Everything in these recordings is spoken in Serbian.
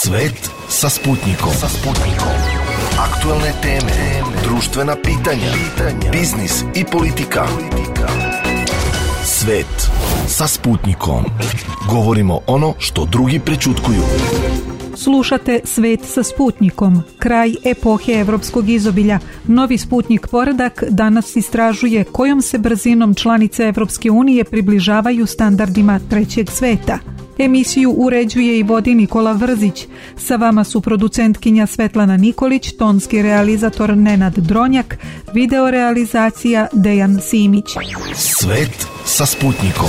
Svet sa Sputnikom. Aktualne teme, društvena pitanja, biznis i politika. Svet sa Sputnikom. Govorimo ono što drugi prećutkuju. Slušate Svet sa Sputnikom. Kraj epohe evropskog izobilja. Novi Sputnik poredak danas istražuje kojom se brzinom članice Evropske unije približavaju standardima trećeg sveta. Emisiju uređuje i vodi Nikola Vrzić. Sa vama su producentkinja Svetlana Nikolić, tonski realizator Nenad Dronjak, video realizacija Dejan Simić. Svet sa Sputnikom.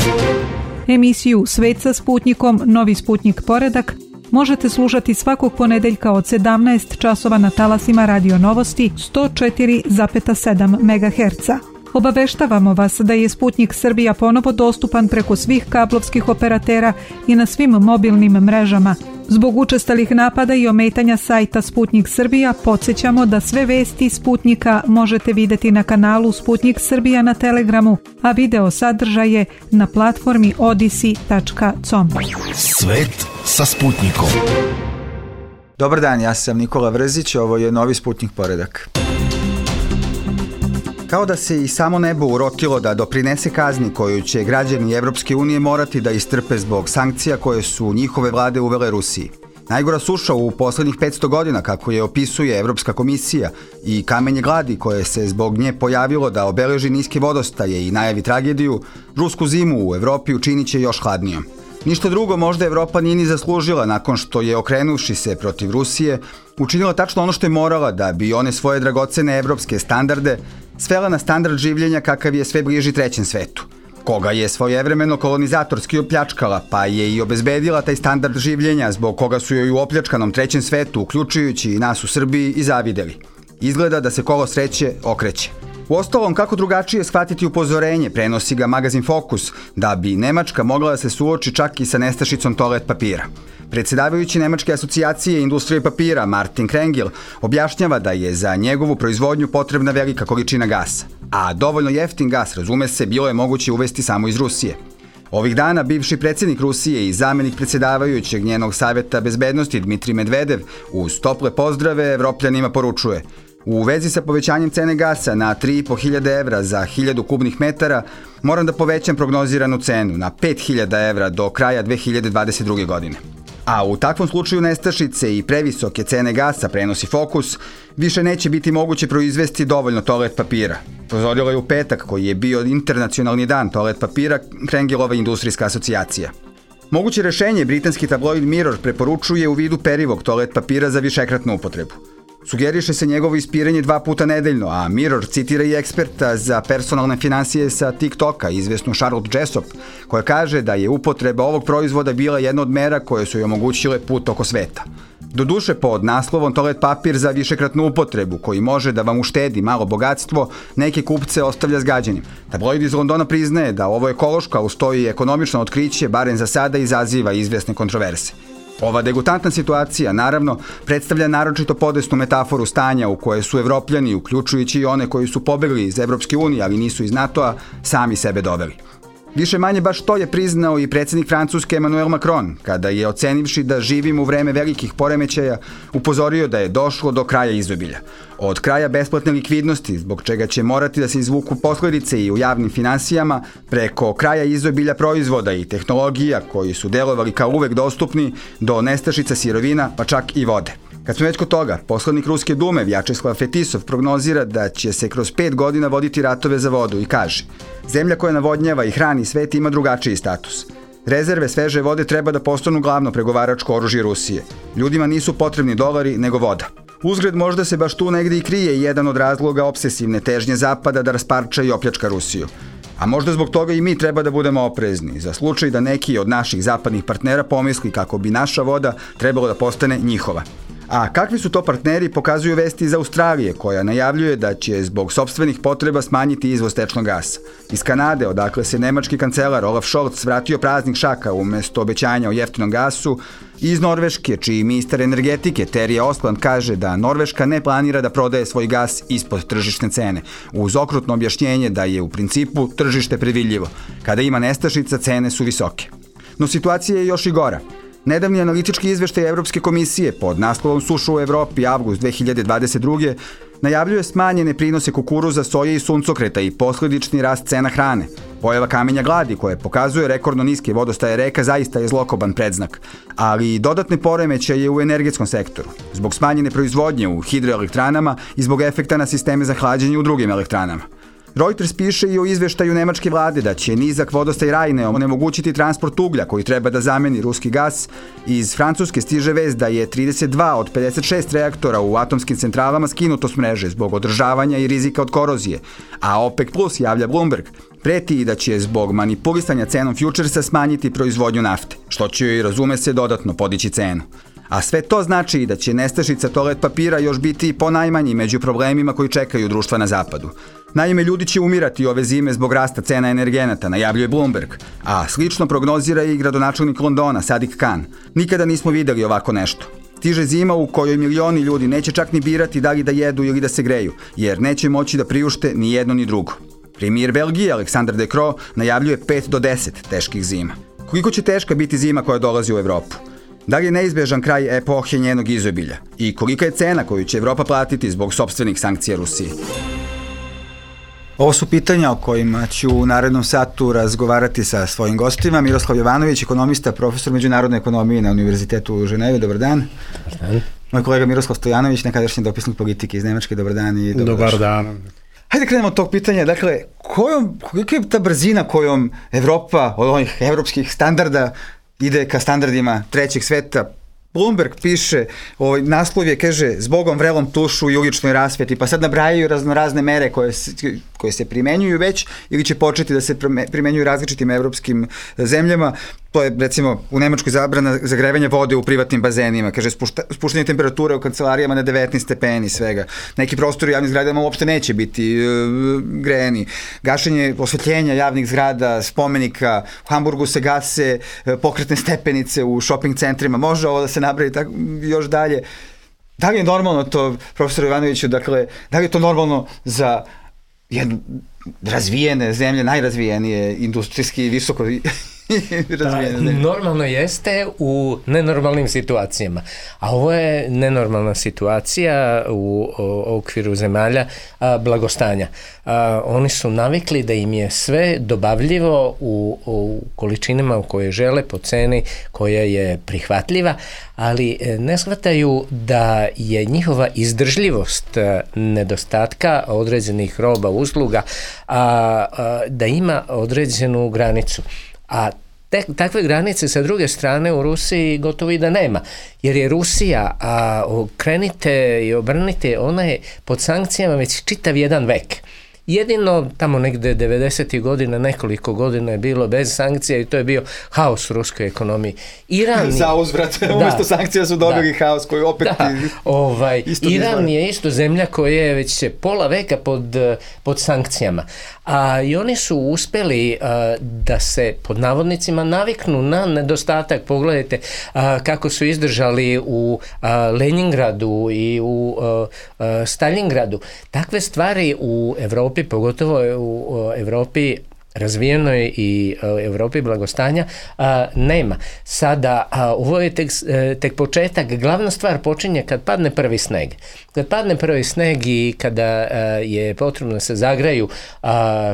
Emisiju Svet sa Sputnikom, Novi Sputnik poredak možete slušati svakog ponedeljka od 17 časova na talasima Radio Novosti 104,7 MHz. Obaveštavamo vas da je Sputnik Srbija ponovo dostupan preko svih kablovskih operatera i na svim mobilnim mrežama. Zbog učestalih napada i ometanja sajta Sputnik Srbija, podsjećamo da sve vesti Sputnika možete vidjeti na kanalu Sputnik Srbija na Telegramu, a video sadržaje na platformi odisi.com. Svet sa Sputnikom. Dobar dan, ja sam Nikola Vrzić, ovo je Novi Sputnik poredak. Kao da se i samo nebo urotilo da doprinese kazni koju će građani Evropske unije morati da istrpe zbog sankcija koje su njihove vlade uvele Rusiji. Najgora suša u poslednjih 500 godina, kako je opisuje Evropska komisija, i kamenje gladi koje se zbog nje pojavilo da obeleži niske vodostaje i najavi tragediju, rusku zimu u Evropi učinit će još hladnijom. Ništa drugo možda Evropa nije ni zaslužila nakon što je, okrenuvši se protiv Rusije, učinila tačno ono što je morala da bi one svoje dragocene evropske standarde svela na standard življenja kakav je sve bliži trećem svetu, koga je svojevremeno kolonizatorski opljačkala, pa je i obezbedila taj standard življenja zbog koga su joj u opljačkanom trećem svetu, uključujući i nas u Srbiji, i zavideli. Izgleda da se kolo sreće okreće. Uostalom, kako drugačije shvatiti upozorenje, prenosi ga magazin Fokus, da bi Nemačka mogla da se suoči čak i sa nestašicom toalet papira. Predsedavajući Nemačke asocijacije industrije papira, Martin Krengel, objašnjava da je za njegovu proizvodnju potrebna velika količina gasa. A dovoljno jeftin gas, razume se, bilo je moguće uvesti samo iz Rusije. Ovih dana bivši predsjednik Rusije i zamenik predsjedavajućeg njenog savjeta bezbednosti Dmitrij Medvedev uz tople pozdrave Evropljanima poručuje: u vezi sa povećanjem cene gasa na 3.500 evra za 1000 kubnih metara, moram da povećam prognoziranu cenu na 5.000 evra do kraja 2022. godine. A u takvom slučaju nestašice i previsoke cene gasa, prenosi Fokus, više neće biti moguće proizvesti dovoljno toalet papira. Upozorila je u petak, koji je bio internacionalni dan toalet papira, Krengelova industrijska asocijacija. Moguće rešenje britanski tabloid Mirror preporučuje u vidu perivog toalet papira za višekratnu upotrebu. Sugeriše se njegovo ispiranje 2 puta nedeljno, a Mirror citira i eksperta za personalne finansije sa TikToka, izvesnu Charlotte Jessop, koja kaže da je upotreba ovog proizvoda bila jedna od mera koje su joj omogućile put oko sveta. Doduše, pod naslovom toalet papir za višekratnu upotrebu, koji može da vam uštedi malo bogatstvo, neke kupce ostavlja zgađenim. Tabloid iz Londona priznaje da ovo ekološko, a uz to i ekonomično otkriće, barem za sada, izaziva izvesne kontroverse. Ova degutantna situacija, naravno, predstavlja naročito podesnu metaforu stanja u koje su Evropljani, uključujući i one koji su pobegli iz Evropske unije, ali nisu iz NATO-a, sami sebe doveli. Više manje baš to je priznao i predsjednik Francuske Emmanuel Macron, kada je, ocenivši da živimo u vreme velikih poremećaja, upozorio da je došlo do kraja izobilja. Od kraja besplatne likvidnosti, zbog čega će morati da se izvuku posledice i u javnim finansijama, preko kraja izobilja proizvoda i tehnologija koji su delovali kao uvek dostupni, do nestašica sirovina, pa čak i vode. Kad smo već kod toga, poslanik Ruske dume Vjačeslav Fetisov prognozira da će se kroz 5 godina voditi ratove za vodu i kaže: zemlja koja navodnjava i hrani svet ima drugačiji status. Rezerve sveže vode treba da postanu glavno pregovaračko oružje Rusije. Ljudima nisu potrebni dolari, nego voda. Uzgred, možda se baš tu negdje i krije jedan od razloga obsesivne težnje Zapada da rasparča i opljačka Rusiju. A možda zbog toga i mi treba da budemo oprezni, za slučaj da neki od naših zapadnih partnera pomisli kako bi naša voda trebalo da postane njihova. A kakvi su to partneri pokazuju vesti iz Australije, koja najavljuje da će zbog sopstvenih potreba smanjiti izvoz tečnog gasa. Iz Kanade, odakle se nemački kancelar Olaf Scholz vratio praznih šaka umesto obećanja o jeftinom gasu, i iz Norveške, čiji ministar energetike Terje Osland kaže da Norveška ne planira da prodaje svoj gas ispod tržišne cene, uz okrutno objašnjenje da je u principu tržište predvidljivo. Kada ima nestašica, cene su visoke. No situacija je još i gora. Nedavni analitički izveštaj Evropske komisije pod naslovom Suša u Evropi avgust 2022. najavljuje smanjene prinose kukuruza, soje i suncokreta i posledični rast cena hrane. Pojava kamenja gladi koje pokazuje rekordno niske vodostaje reka zaista je zlokoban predznak, ali i dodatne poremećaje u energetskom sektoru, zbog smanjene proizvodnje u hidroelektranama i zbog efekta na sisteme za hlađenje u drugim elektranama. Reuters piše i o izveštaju nemačke vlade da će nizak vodostaj Rajne onemogućiti transport uglja koji treba da zameni ruski gas. Iz Francuske stiže vest da je 32 od 56 reaktora u atomskim centralama skinuto s mreže zbog održavanja i rizika od korozije, a OPEC Plus, javlja Bloomberg, preti i da će zbog manipulisanja cenom futuresa smanjiti proizvodnju nafte, što će joj, razume se, dodatno podići cenu. A sve to znači da će nestašica toalet papira još biti ponajmanji među problemima koji čekaju društva na zapadu. Naime, ljudi će umirati ove zime zbog rasta cena energenata, najavljuje Bloomberg, a slično prognozira i gradonačelnik Londona, Sadiq Khan. Nikada nismo videli ovako nešto. Stiže zima u kojoj milioni ljudi neće čak ni birati da li da jedu ili da se greju, jer neće moći da priušte ni jedno ni drugo. Premijer Belgije, Alexander De Croo, najavljuje 5 do 10 teških zima. Koliko će teška biti zima koja dolazi u Evropu? Da li je neizbežan kraj epohe njenog izobilja? I kolika je cena koju će Evropa platiti zbog sopstvenih sankcija Rusiji? Ovo su pitanja o kojima ću u narednom satu razgovarati sa svojim gostima. Miroslav Jovanović, ekonomista, profesor međunarodne ekonomije na Univerzitetu u Ženevi. Dobar dan. Dobar dan. Moj kolega Miroslav Stojanović, nekadašnji dopisnik politike iz Nemačke. Dobar dan i dobar dan. Hajde krenemo od tog pitanja. Dakle, kolika je ta brzina kojom Evropa od ovih evropskih standarda ide ka standardima trećeg sveta? Bloomberg piše, naslov je, kaže, zbogom vrelom tušu i uličnoj rasveti, pa sad nabrajaju raznorazne mere koje se primenjuju već ili će početi da se primenjuju različitim evropskim zemljama. To je, recimo, u Nemačkoj zabrana zagrevanja vode u privatnim bazenima, kaže, spuštanje temperature u kancelarijama na 19 stepeni svega. Neki prostori u javnim zgradama uopšte neće biti grejani. Gašenje osvetljenja javnih zgrada, spomenika, u Hamburgu se gase pokretne stepenice u shopping centrima, može ovo da se nabravi tako, još dalje. Da li je normalno to, profesor Jovanoviću, dakle, da li je to normalno za jednu razvijene zemlje, najrazvijenije, industrijski i visoko normalno jeste u nenormalnim situacijama, a ovo je nenormalna situacija u okviru zemalja blagostanja. Oni su navikli da im je sve dobavljivo u količinama u koje žele, po ceni koja je prihvatljiva, ali ne shvataju da je njihova izdržljivost nedostatka određenih roba, usluga, da ima određenu granicu. A takve granice sa druge strane u Rusiji gotovo i da nema, jer je Rusija, krenite i obrnite, ona je pod sankcijama već čitav jedan vek. Jedino tamo negde 90. godina, nekoliko godina je bilo bez sankcija i to je bio haos u ruskoj ekonomiji. Za uzvrat, umjesto sankcija su dobili haos koji opet... Iran je isto zemlja koja je već pola veka pod sankcijama. I oni su uspeli da se pod navodnicima naviknu na nedostatak. Pogledajte kako su izdržali u Leningradu i u Stalingradu. Takve stvari u Evropi, pogotovo u Evropi razvijenoj i Evropi blagostanja, nema. Sada, ovo je tek početak. Glavna stvar počinje kad padne prvi sneg. Kad padne prvi sneg i kada je potrebno da se zagraju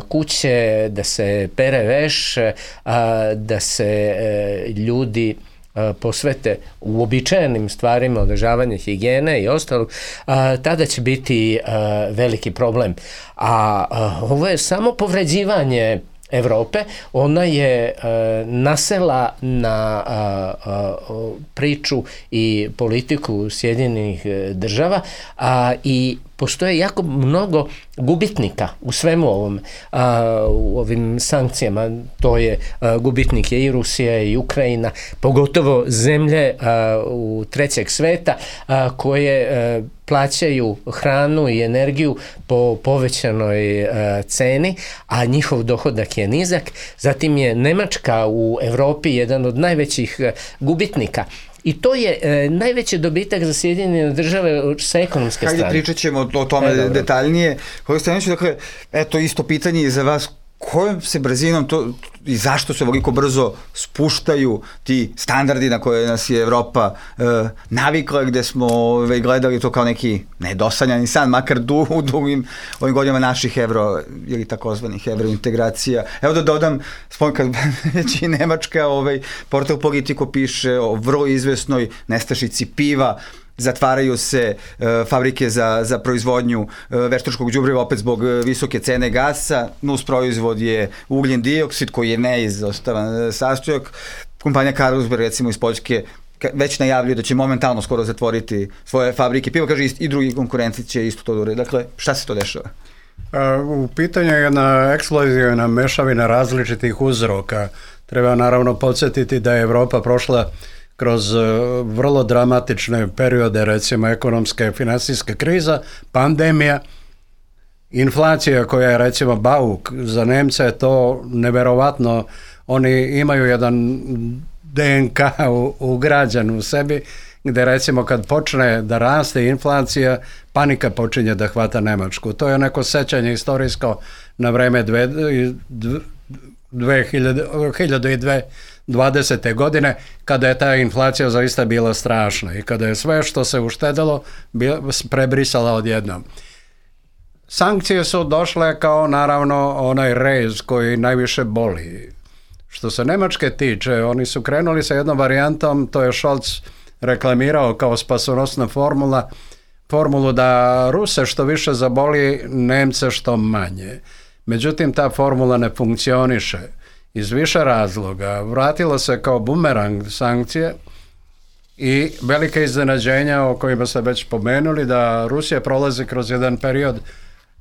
kuće, da se pere veš, da se ljudi posvete uobičajenim stvarima, održavanje higijene i ostalog, tada će biti veliki problem. A ovo je samo povređivanje Evrope. Ona je nasela na priču i politiku Sjedinjenih država i postoje jako mnogo gubitnika u svemu ovom, u ovim sankcijama. To je gubitnik je i Rusija i Ukrajina, pogotovo zemlje u trećeg sveta koje plaćaju hranu i energiju po povećanoj ceni, a njihov dohodak je nizak. Zatim je Nemačka u Evropi jedan od najvećih gubitnika. I to je najveći dobitak za Sjedinjene države sa ekonomske strane. Hajde pričat ćemo o tome detaljnije. Dakle, eto isto pitanje i za vas. Kojom se brzinom i zašto se ovoliko brzo spuštaju ti standardi na koje nas je Evropa navikla, gde smo gledali to kao neki nedosanjani san, makar u dugim ovim godinama naših evro ili takozvanih evrointegracija. Evo da dodam, kad već i Nemačka, portal Politico piše o vrlo izvesnoj nestašici piva, zatvaraju se fabrike za proizvodnju veštačkog đubriva opet zbog visoke cene gasa, nus proizvod je ugljen dioksid koji je neizostavan sastojak. Kompanija Carlsberg recimo iz Poljske već najavljuje da će momentalno skoro zatvoriti svoje fabrike piva, kaže i drugi konkurenti će isto to uraditi. Dakle, šta se to dešava? U pitanju je jedna eksplozivna mešavina različitih uzroka. Treba naravno podsjetiti da je Evropa prošla kroz vrlo dramatične periode, recimo ekonomska i finansijska kriza, pandemija, inflacija koja je recimo bauk, za Nemce je to neverovatno, oni imaju jedan DNK ugrađen u sebi, gde recimo kad počne da raste inflacija, panika počinje da hvata Nemačku. To je neko sećanje istorijsko na vreme 2020. godine, kada je ta inflacija zaista bila strašna i kada je sve što se uštedelo prebrisala odjednom. Sankcije su došle kao naravno onaj rez koji najviše boli. Što se Nemačke tiče, oni su krenuli sa jednom varijantom, to je Scholz reklamirao kao spasonosna formulu da Ruse što više zaboli, Nemce što manje. Međutim, ta formula ne funkcioniše iz više razloga. Vratilo se kao bumerang sankcije i velike iznenađenja o kojima ste već pomenuli, da Rusija prolazi kroz jedan period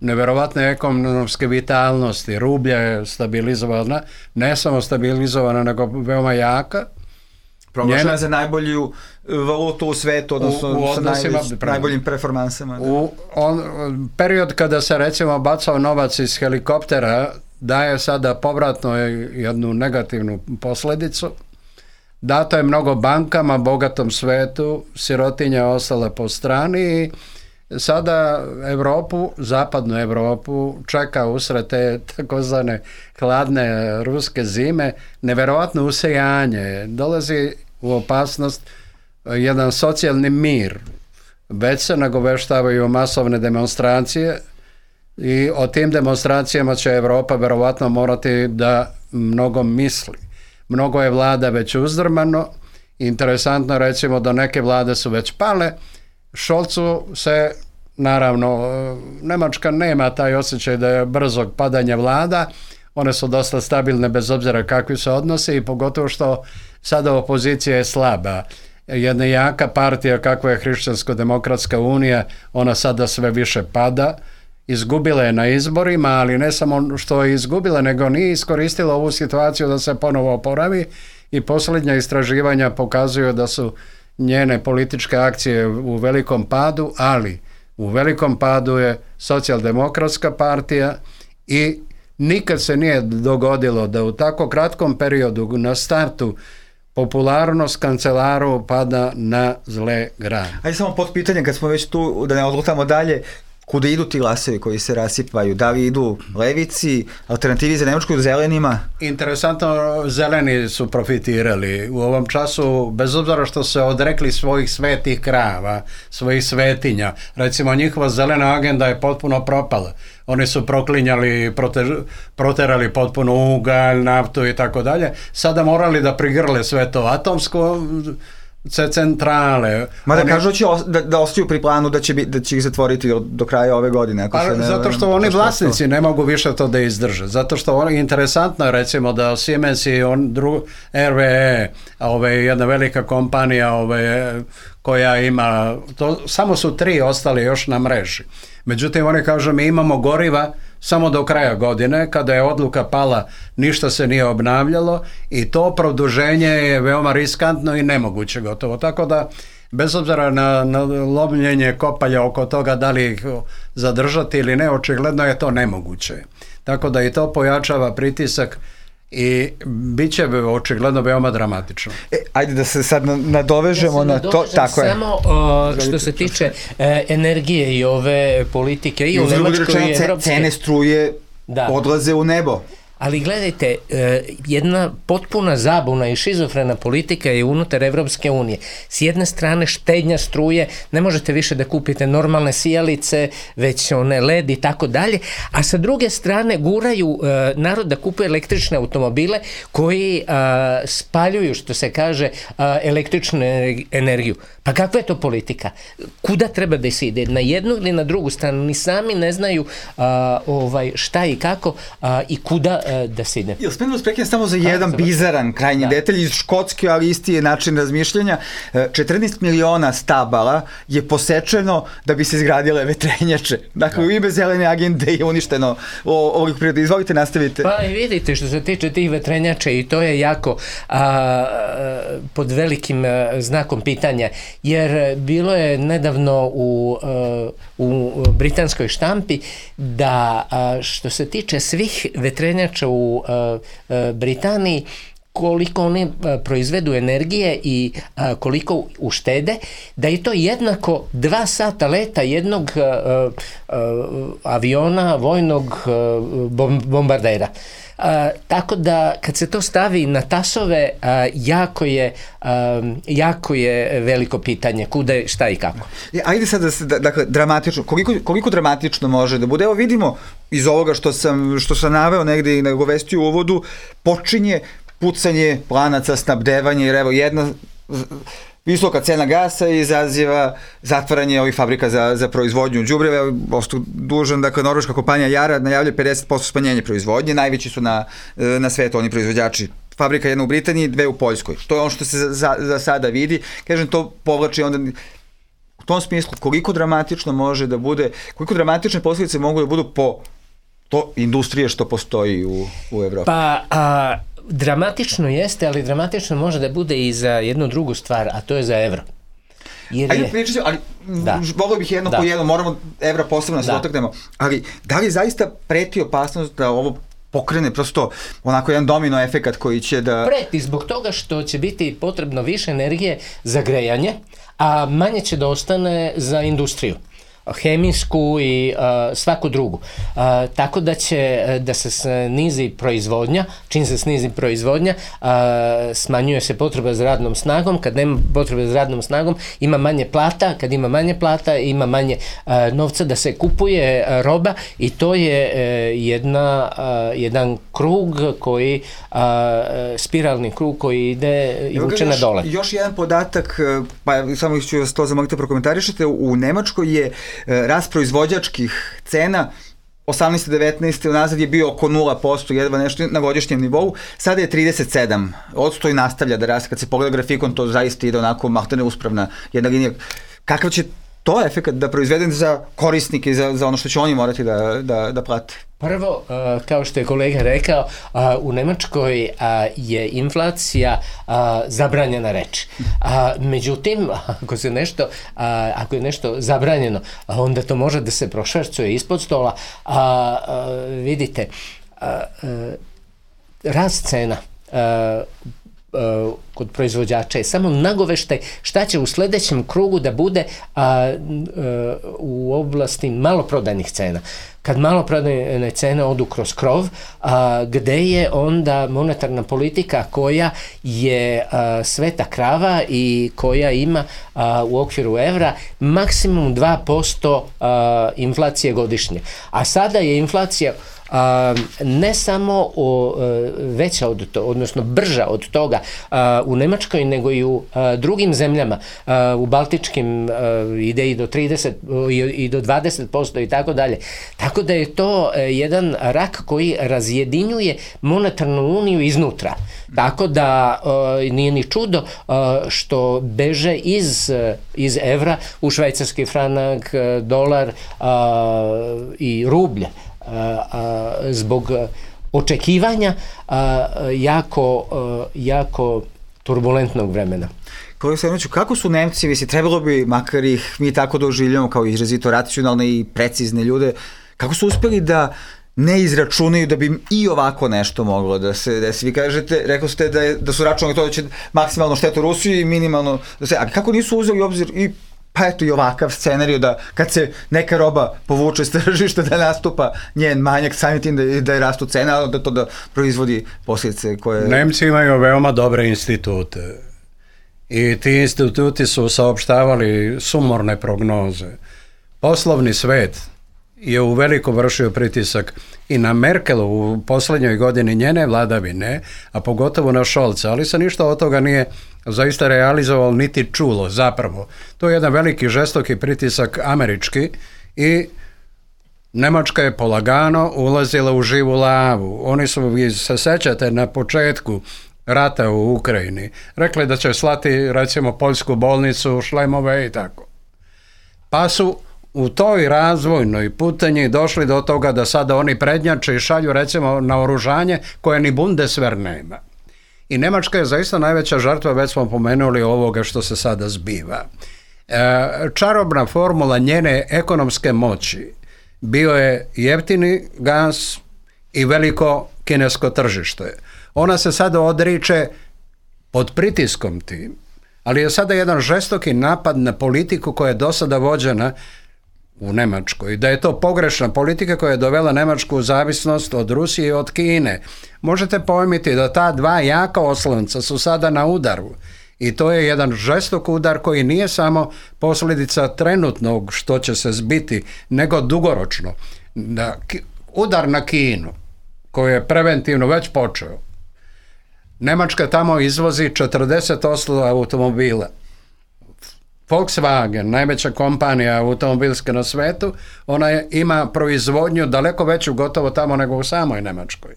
neverovatne ekonomske vitalnosti. Rublja je stabilizovana, ne samo stabilizovana, nego veoma jaka. Proglašena za najbolju valutu u svetu, odnosno sa najboljim performansama. Period kada se recimo bacao novac iz helikoptera daje sada povratno jednu negativnu posljedicu. Dato je mnogo bankama, bogatom svetu, sirotinja ostala po strani i sada Evropu, zapadnu Evropu, čeka usred te takozvane hladne ruske zime neverovatno usejanje. Dolazi u opasnost jedan socijalni mir. Već se nagoveštavaju masovne demonstracije i o tim demonstracijama će Evropa verovatno morati da mnogo misli. Mnogo je vlada već uzdrmano. Interesantno recimo da neke vlade su već pale. Scholzu se, naravno, Nemačka nema taj osjećaj da je brzog padanja vlada. One su dosta stabilne bez obzira kakvi se odnose i pogotovo što sada opozicija je slaba. Jedna jaka partija kakva je Hrišćansko-demokratska unija, ona sada sve više pada. Izgubila je na izborima, ali ne samo što je izgubila, nego nije iskoristila ovu situaciju da se ponovo oporavi i posljednja istraživanja pokazuju da su njene političke akcije u velikom padu, ali u velikom padu je Socijaldemokratska partija i nikad se nije dogodilo da u tako kratkom periodu na startu popularnost kancelaru pada na zle grane. Ajde samo pod pitanje, kad smo već tu, da ne odlutamo dalje, kuda idu ti glasovi koji se rasipaju? Da li idu levici, alternativi za Nemačku, zelenima? Interesantno, zeleni su profitirali u ovom času, bez obzira što se odrekli svojih svetih krava, svojih svetinja. Recimo, njihova zelena agenda je potpuno propala. Oni su proklinjali, proterali potpuno ugalj, naftu i tako dalje. Sada morali da prigrle sve to atomsko, centrale. Mada kažu da ostaju pri planu da će ih zatvoriti do kraja ove godine. Zato što oni vlasnici ne mogu više to da izdrže. Zato što interesantno je recimo da Siemens i RWE, jedna velika kompanija koja ima, samo su 3 ostali još na mreži. Međutim, oni kažu mi imamo goriva samo do kraja godine, kada je odluka pala, ništa se nije obnavljalo i to produženje je veoma riskantno i nemoguće gotovo. Tako da, bez obzira na lomljenje kopalja oko toga da li ih zadržati ili ne, očigledno je to nemoguće. Tako da i to pojačava pritisak i bit će očigledno veoma dramatično. Ajde da se sad nadovežemo na to. Tako je. Samo što se tiče energije i ove politike i u Nemačkoj i cene struje odlaze u nebo. ali gledajte, jedna potpuna zabuna i šizofrena politika je unutar Evropske unije. S jedne strane štednja struje, ne možete više da kupite normalne sijalice, već one LED i tako dalje, a sa druge strane guraju narod da kupuje električne automobile koji spaljuju, što se kaže, električnu energiju. Pa kakva je to politika? Kuda treba da se ide? Na jednu ili na drugu stranu? Ni sami ne znaju šta i kako i kuda da se ide. Jel smijem da uspreknem samo za jedan bizaran krajnji detalj iz Škotske, ali isti je način razmišljanja. 14 miliona stabala je posečeno da bi se izgradile vetrenjače. Dakle, u ime zelene agende je uništeno ovih priroda. Izvolite, nastavite. Pa i vidite, što se tiče tih vetrenjača, i to je jako pod velikim znakom pitanja, jer bilo je nedavno u britanskoj štampi da što se tiče svih vetrenjača u Britaniji, koliko oni proizvedu energije i koliko uštede, da je to jednako 2 sata leta jednog aviona, vojnog bombardera. Tako da kad se to stavi na tasove, jako je veliko pitanje kuda, šta i kako. Ajde sad dakle, dramatično, koliko dramatično može da bude? Evo vidimo iz ovoga što sam naveo negde i nagovestio u uvodu, počinje pucanje lanaca snabdevanja, jer evo jedna visoka cena gasa izaziva zatvaranje ovih fabrika za proizvodnju đubriva. Ostao dužan, dakle, norveška kompanija Yara najavlja 50% smanjenje proizvodnje, najveći su na svetu oni proizvođači. Fabrika jedna u Britaniji, 2 u Poljskoj. To je ono što se za sada vidi. Kažem, to povlači onda u tom smislu koliko dramatično može da bude, koliko dramatične posljedice mogu da budu po to industrije što postoji u Evropi. Pa, dramatično jeste, ali dramatično može da bude i za jednu drugu stvar, a to je za evro. Ajde pričati, ali volio bih jedno po jedno, moramo evra posebno se dotaknemo, ali da li zaista preti opasnost da ovo pokrene prosto onako jedan domino efekat koji će da... Preti zbog toga što će biti potrebno više energije za grejanje, a manje će da ostane za industriju, hemijsku i svaku drugu. Tako da će da se snizi proizvodnja, čim se snizi proizvodnja, smanjuje se potreba za radnom snagom, kad nema potrebe za radnom snagom, ima manje plata, kad ima manje plata, ima manje novca da se kupuje roba i to je jedan krug koji, spiralni krug koji ide i vuče na dole. Još jedan podatak, pa samo ću vas to zamoliti prokomentarišete, u Nemačkoj je rast proizvođačkih cena 18-19 unazad je bio oko 0%, jedva nešto na godišnjem nivou, sada je 37%, odsto i nastavlja da raste, kad se pogleda grafikon to zaista ide onako mahtane uspravna jedna linija. Kakav će to efekat da proizvedem za korisnike i za ono što će oni morati da plate? Prvo, kao što je kolega rekao, u Nemačkoj je inflacija zabranjena reč. Međutim, ako je nešto zabranjeno, onda to može da se prošvercuje ispod stola. Vidite, rast cena kod proizvođača je samo nagoveštaj šta će u sledećem krugu da bude u oblasti maloprodajnih cena. Kad maloprodajne cene odu kroz krov, gde je onda monetarna politika koja je sveta krava i koja ima u okviru evra maksimum 2% inflacije godišnje. A sada je inflacija ne samo veća od toga, odnosno brža od toga u Nemačkoj, nego i u drugim zemljama, u Baltičkim ide i do 30 i do 20% i tako dalje. Tako da je to jedan rak koji razjedinjuje monetarnu uniju iznutra. Tako da nije ni čudo što beže iz evra u švajcarski franak, dolar i rublje. Zbog očekivanja jako turbulentnog vremena. Kolega Stojanoviću, kako su Nemci, mislim, trebalo bi, makar ih mi tako doživljamo kao izrazito racionalne i precizne ljude, kako su uspeli da ne izračunaju da bi im i ovako nešto moglo da se desi? Vi kažete, rekao ste da su računali to da će maksimalno štetu Rusiji i minimalno da se... A kako nisu uzeli obzir i Pa eto i ovakav scenarij da kad se neka roba povuče s tržišta da nastupa njen manjak, samim tim da je rastu cena, ali da to da proizvodi posljedice koje... Nemci imaju veoma dobre institute i ti instituti su saopštavali sumorne prognoze. Poslovni svet je u veliko vršio pritisak i na Merkelu u posljednjoj godini njene vladavine, a pogotovo na Scholza, ali se ništa od toga nije zaista realizovalo niti čulo zapravo. To je jedan veliki žestoki pritisak američki i Nemačka je polagano ulazila u živu lavu. Oni su, vi se sećate, na početku rata u Ukrajini rekli da će slati recimo poljsku bolnicu, šlemove i tako. Pa su u toj razvojnoj putanji došli do toga da sada oni prednjače i šalju recimo naoružanje koje ni Bundeswehr nema. I Nemačka je zaista najveća žrtva, već smo pomenuli ovoga što se sada zbiva. Čarobna formula njene ekonomske moći bio je jeftini gas i veliko kinesko tržište. Ona se sada odriče pod pritiskom tim, ali je sada jedan žestoki napad na politiku koja je do sada vođena u Nemačkoj. Da je to pogrešna politika koja je dovela Nemačku u zavisnost od Rusije i od Kine. Možete pojmiti da ta dva jaka oslonca su sada na udaru. I to je jedan žestok udar koji nije samo posljedica trenutnog što će se zbiti, nego dugoročno. Udar na Kinu, koji je preventivno već počeo. Nemačka tamo izvozi 40% automobila. Volkswagen, najveća kompanija automobilska na svetu, ona ima proizvodnju daleko veću gotovo tamo nego u samoj Nemačkoj.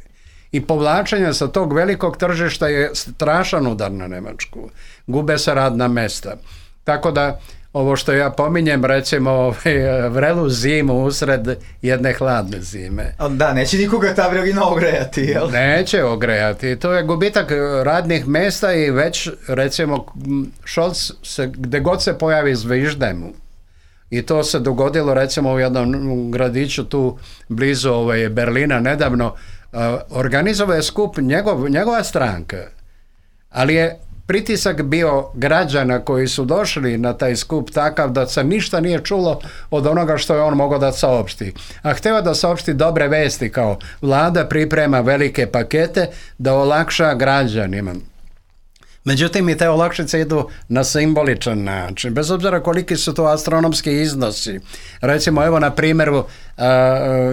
I povlačenje sa tog velikog tržišta je strašan udar na Nemačku. Gube se radna mesta. Tako da ovo što ja pominjem, recimo vrelu zimu usred jedne hladne zime. Da, neće nikoga ta vrelina ogrejati, jel? Neće ogrejati. To je gubitak radnih mesta i već, recimo, Scholz se, gde god se pojavi zvižde mu. I to se dogodilo, recimo, u jednom gradiću tu blizu Berlina nedavno. Organizovao je skup njegova stranka, ali je pritisak bio građana koji su došli na taj skup takav da se ništa nije čulo od onoga što je on mogao da saopšti. A hteo da saopšti dobre vesti, kao vlada priprema velike pakete da olakša građanima. Međutim, i te olakšice idu na simboličan način, bez obzira koliki su to astronomski iznosi. Recimo, evo na primjeru,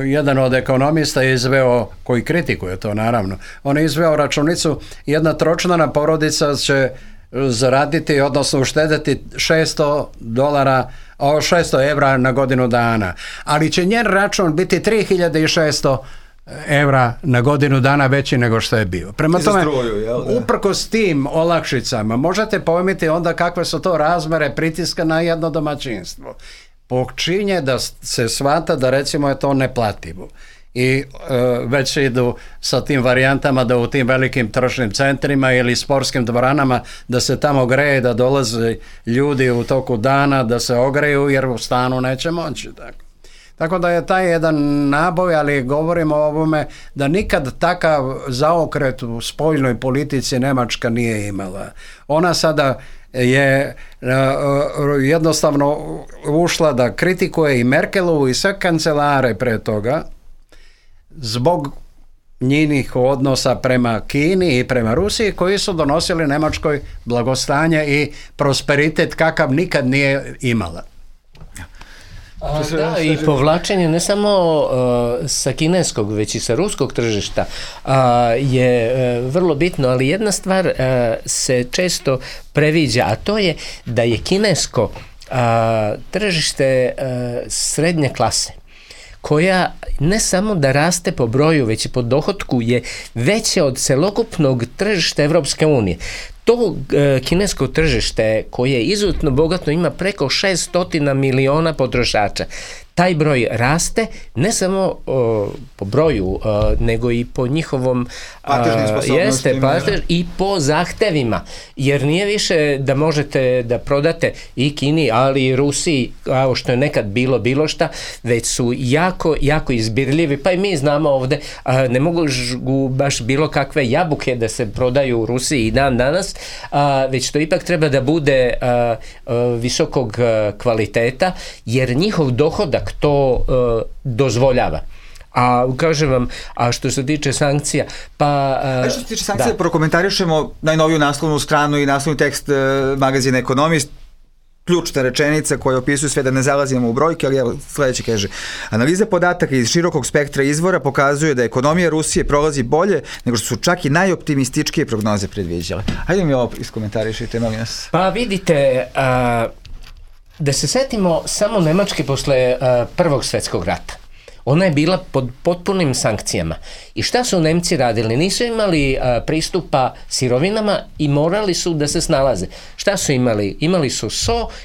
jedan od ekonomista je izveo, koji kritikuje to naravno, on je izveo računicu, jedna tročlana porodica će zaraditi, odnosno uštedeti $600 evra na godinu dana, ali će njen račun biti 3600 evra na godinu dana veći nego što je bio. Prema tome, uprkos tim olakšicama, možete pojmiti onda kakve su to razmere pritiska na jedno domaćinstvo. Počinje da se shvata da recimo je to neplativo. I već idu sa tim varijantama da u tim velikim tržnim centrima ili sportskim dvoranama da se tamo greje, da dolaze ljudi u toku dana da se ogreju jer u stanu neće moći. Tako da je taj jedan naboj, ali govorimo o ovome da nikad takav zaokret u spoljnoj politici Nemačka nije imala. Ona sada je jednostavno ušla da kritikuje i Merkelovu i sve kancelare pre toga zbog njinih odnosa prema Kini i prema Rusiji koji su donosili Nemačkoj blagostanje i prosperitet kakav nikad nije imala. Da, i povlačenje ne samo sa kineskog, već i sa ruskog tržišta je vrlo bitno, ali jedna stvar se često previđa, a to je da je kinesko tržište srednje klase, koja ne samo da raste po broju, već i po dohotku je veće od celokupnog tržišta Evropske unije. To kinesko tržište koje je izuzetno bogato ima preko 600 miliona potrošača. taj broj raste ne samo po broju, nego i po njihovom i po zahtevima, jer nije više da možete da prodate i Kini, ali i Rusiji, kao što je nekad bilo šta, već su jako izbirljivi, pa i mi znamo ovde, ne mogu baš bilo kakve jabuke da se prodaju u Rusiji i dan danas, već to ipak treba da bude visokog kvaliteta, jer njihov dohodak to dozvoljava. A kažem vam, a što se tiče sankcija, što se tiče sankcija, prokomentarišemo najnoviju naslovnu stranu i naslovni tekst magazina Ekonomist, ključna rečenica koja opisuje sve, da ne zalazimo u brojke, ali evo sledeće kaže: analiza podataka iz širokog spektra izvora pokazuje da ekonomija Rusije prolazi bolje nego što su čak i najoptimističkije prognoze predviđale. Hajde mi ovo iskomentarišite, molim nas. Pa vidite, da se setimo samo Nemačke posle Prvog svetskog rata. Ona je bila pod potpunim sankcijama. I šta su Nemci radili? Nisu imali pristupa sirovinama i morali su da se snalaze. Šta su imali? Imali su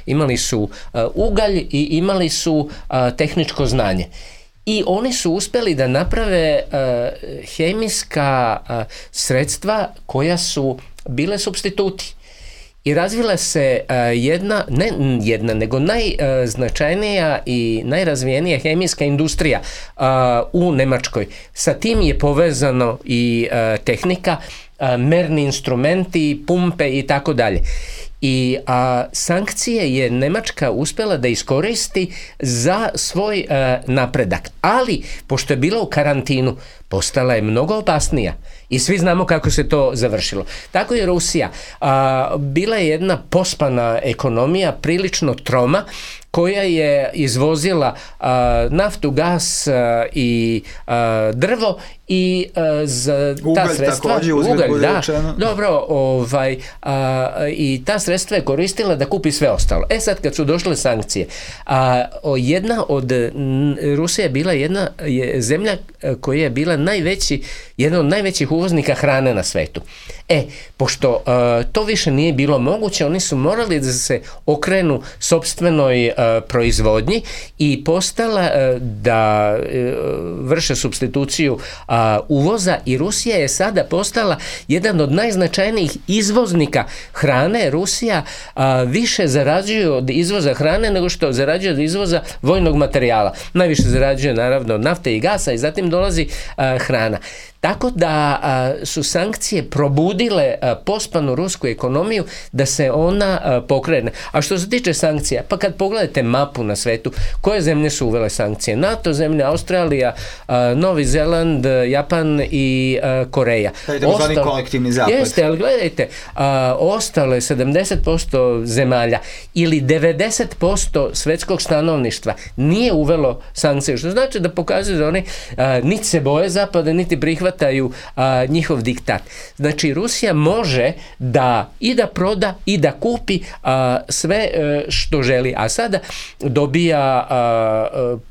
imali su ugalj i imali su tehničko znanje. I oni su uspeli da naprave hemijska sredstva koja su bile supstituti. I razvila se nego najznačajnija i najrazvijenija hemijska industrija u Nemačkoj. Sa tim je povezano i tehnika, merni instrumenti, pumpe i tako dalje. I sankcije je Nemačka uspela da iskoristi za svoj napredak. Ali, pošto je bila u karantinu, postala je mnogo opasnija. I svi znamo kako se to završilo. Tako je Rusija. Bila je jedna pospana ekonomija, prilično troma, koja je izvozila naftu, gas i drvo i za ta sredstva... Ugalj, da. Dobro, i ta sredstva je koristila da kupi sve ostalo. Sad kad su došle sankcije, Rusija je bila jedna zemlja koja je bila jedna od najvećih uvoznika hrane na svetu. Pošto to više nije bilo moguće, oni su morali da se okrenu sopstvenoj proizvodnji i postala da vrše supstituciju uvoza, i Rusija je sada postala jedan od najznačajnijih izvoznika hrane. Rusija više zarađuje od izvoza hrane nego što zarađuje od izvoza vojnog materijala. Najviše zarađuje naravno od nafte i gasa i zatim dolazi hrana. Tako da su sankcije probudile pospanu rusku ekonomiju da se ona pokrene. A što se tiče sankcija, pa kad pogledate mapu na svetu, koje zemlje su uvele sankcije? NATO zemlje, Australija, Novi Zeland, Japan i Koreja. Taj kolektivni zapad. Jeste, ali gledajte, ostale 70% zemalja ili 90% svetskog stanovništva nije uvelo sankcije, što znači da pokazuje da oni niti se boje zapada, niti prihvataju njihov diktat. Znači, Rusija može da proda i da kupi sve što želi, a sada dobija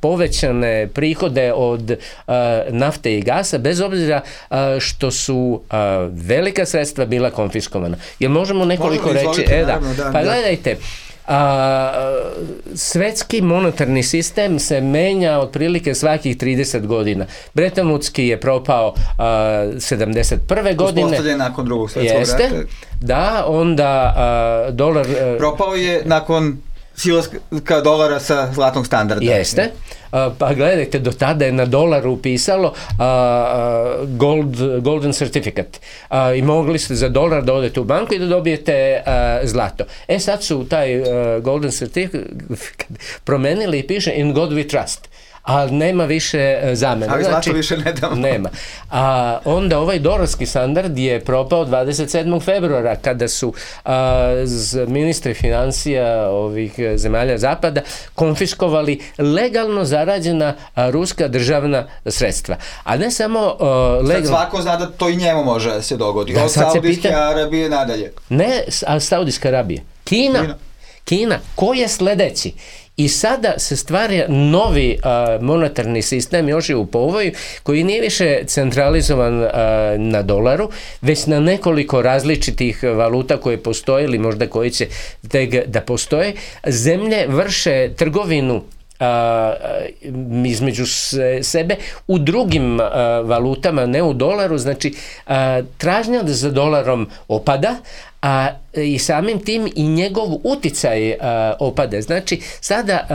povećane prihode od nafte i gasa, bez obzira što su velika sredstva bila konfiskovana. Jel možemo nekoliko reći? Pa gledajte, svetski monetarni sistem se menja otprilike svakih 30 godina. Bretton Woodski je propao 71. godine. Uspostavljen nakon drugog svjetskog rata. Da, onda dolar... Propao je nakon silaska dolara sa zlatnog standarda. Jeste. Pa gledajte, do tada je na dolaru pisalo golden certificate. I mogli ste za dolar da odete u banku i da dobijete zlato. Sad su taj golden certificate promenili i piše in God we trust. Ali nema više zamena. Ali zlato više ne damo. Nema. Onda ovaj dolarski standard je propao 27. februara kada su ministri financija ovih zemalja zapada konfiskovali legalno zarađena ruska državna sredstva. A ne samo legalno... Sad svako zna da to i njemu može da se dogodi. Od Saudijske Arabije nadalje. Ne, Saudijska Arabija. Kina. Ko je sledeći? I sada se stvara novi monetarni sistem, još je u povoju, koji nije više centralizovan na dolaru, već na nekoliko različitih valuta koje postoje ili možda koji će tek da postoje. Zemlje vrše trgovinu između sebe u drugim valutama, ne u dolaru, znači tražnja za dolarom opada, a i samim tim i njegov uticaj opada. Znači, sada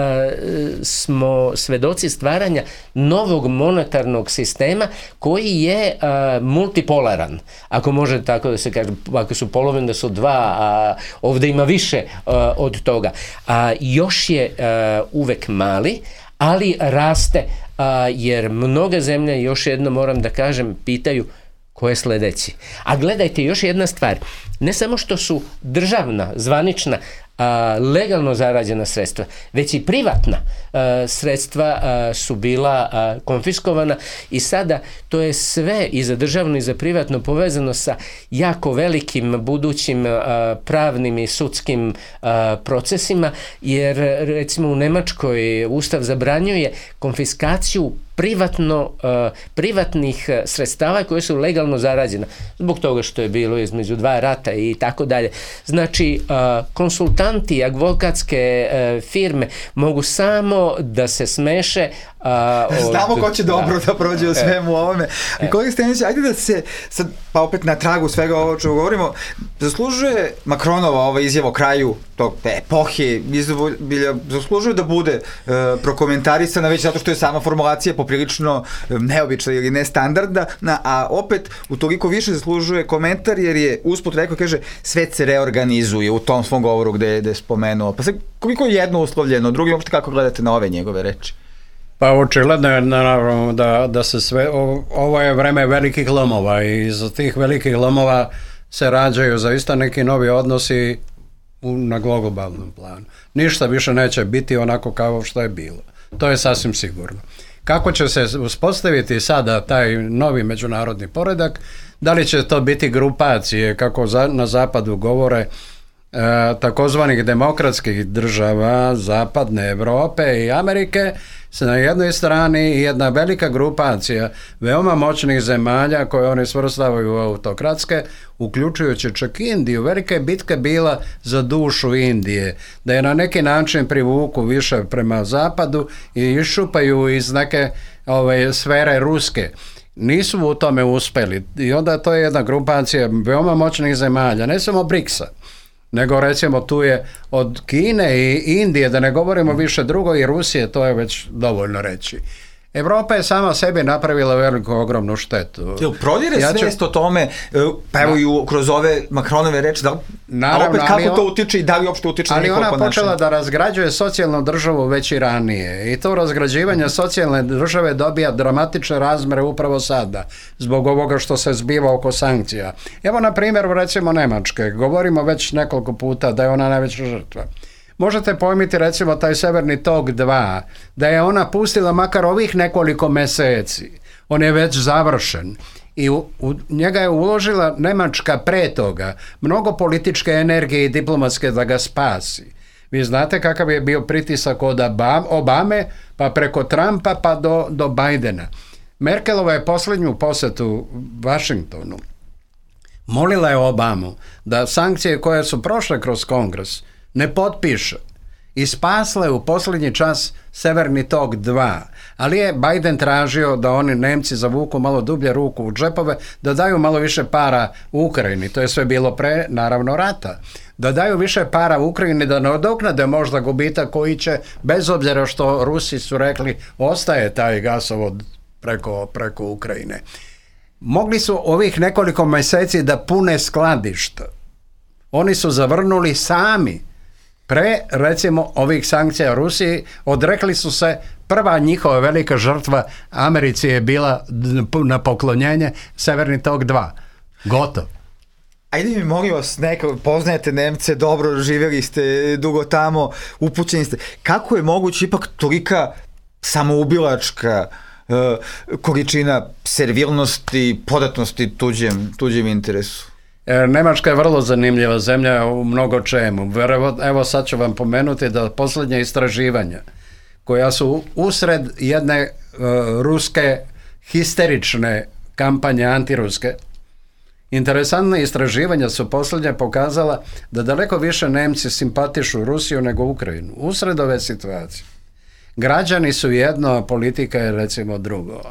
smo svedoci stvaranja novog monetarnog sistema koji je multipolaran. Ako može tako da se kaže, ako su polovine da su dva, a ovdje ima više od toga. Još je uvek mali, ali raste, jer mnoga zemlje, još jedno moram da kažem, pitaju ko je sledeći. A gledajte, još jedna stvar, ne samo što su državna, zvanična, legalno zarađena sredstva, već i privatna sredstva su bila konfiskovana i sada to je sve i za državno i za privatno povezano sa jako velikim budućim pravnim i sudskim procesima, jer recimo u Nemačkoj Ustav zabranjuje konfiskaciju privatnih sredstava koje su legalno zarađena, zbog toga što je bilo između dva rata i tako dalje. Znači, konsultanti, advokatske firme mogu samo da se smeše. Znamo ko će dobro da prođe u svemu ovome. Kolega Stenić, ajde da se sad, pa opet na tragu svega ovo čemu govorimo, zaslužuje Makronova ova izjava o kraju tog epohe, zaslužuje da bude prokomentarisana već zato što je sama formulacija poprilično neobična ili nestandardna, a opet utoliko više zaslužuje komentar jer je usput rekao, kaže, svet se reorganizuje u tom svom govoru gde je spomenuo. Pa sad, koliko je jedno uslovljeno, drugi uopšte kako gledate na ove njegove reči? Pa očigledno je naravno da se sve, ovo je vreme velikih lomova i iz tih velikih lomova se rađaju zaista neki novi odnosi na globalnom planu. Ništa više neće biti onako kao što je bilo. To je sasvim sigurno. Kako će se uspostaviti sada taj novi međunarodni poredak, da li će to biti grupacije, kako na zapadu govore, takozvanih demokratskih država Zapadne Evrope i Amerike, se na jednoj strani i jedna velika grupacija veoma moćnih zemalja koje oni svrstavaju u autokratske, uključujući čak Indiju. Velika je bitka bila za dušu Indije, da je na neki način privuku više prema zapadu i iščupaju iz neke sfere ruske. Nisu u tome uspeli i onda to je jedna grupacija veoma moćnih zemalja, ne samo BRICS-a, nego recimo tu je od Kine i Indije, da ne govorimo više drugo, i Rusije, to je već dovoljno reći. Evropa je sama sebi napravila veliku, ogromnu štetu. Prodire svest o tome, pa evo i kroz ove Makronove reči, a opet kako to utiče i da li uopšte utiče na njihovo ponašanje? Ali ona počela da razgrađuje socijalnu državu već i ranije i to razgrađivanje socijalne države dobija dramatične razmere upravo sada, zbog ovoga što se zbiva oko sankcija. Evo na primjer recimo Nemačke, govorimo već nekoliko puta da je ona najveća žrtva. Možete pojmiti recimo taj Severni tok 2, da je ona pustila makar ovih nekoliko meseci. On je već završen i u njega je uložila Nemačka pre toga mnogo političke energije i diplomatske da ga spasi. Vi znate kakav je bio pritisak od Obame, pa preko Trumpa pa do Bidena. Merkelova je posljednju posetu Vašingtonu molila je Obamu da sankcije koje su prošle kroz Kongres ne potpiše i spasle u posljednji čas Severni tok 2, ali je Biden tražio da oni Nemci zavuku malo dublje ruku u džepove, da daju malo više para u Ukrajini, to je sve bilo pre naravno rata, da daju više para u Ukrajini, da nadoknade možda gubitak koji će, bez obzira što Rusi su rekli, ostaje taj gasovod preko Ukrajine. Mogli su ovih nekoliko mjeseci da pune skladišta. Oni su zavrnuli sami. Pre, recimo, ovih sankcija Rusiji, odrekli su se, prva njihova velika žrtva Americi je bila na poklonjenje Severni tok 2. Gotov. Ajde mi molim vas, poznajete Nemce, dobro, živjeli ste dugo tamo, upućeni ste. Kako je moguće ipak tolika samoubilačka količina servilnosti, podatnosti tuđem interesu? Nemačka je vrlo zanimljiva zemlja u mnogo čemu. Evo sad ću vam pomenuti da posljednja istraživanja koja su usred jedne ruske histerične kampanje antiruske, interesantne istraživanja su posljednje pokazala da daleko više Nemci simpatišu Rusiju nego Ukrajinu usred ove situacije. Građani su jedno, politika je recimo drugo.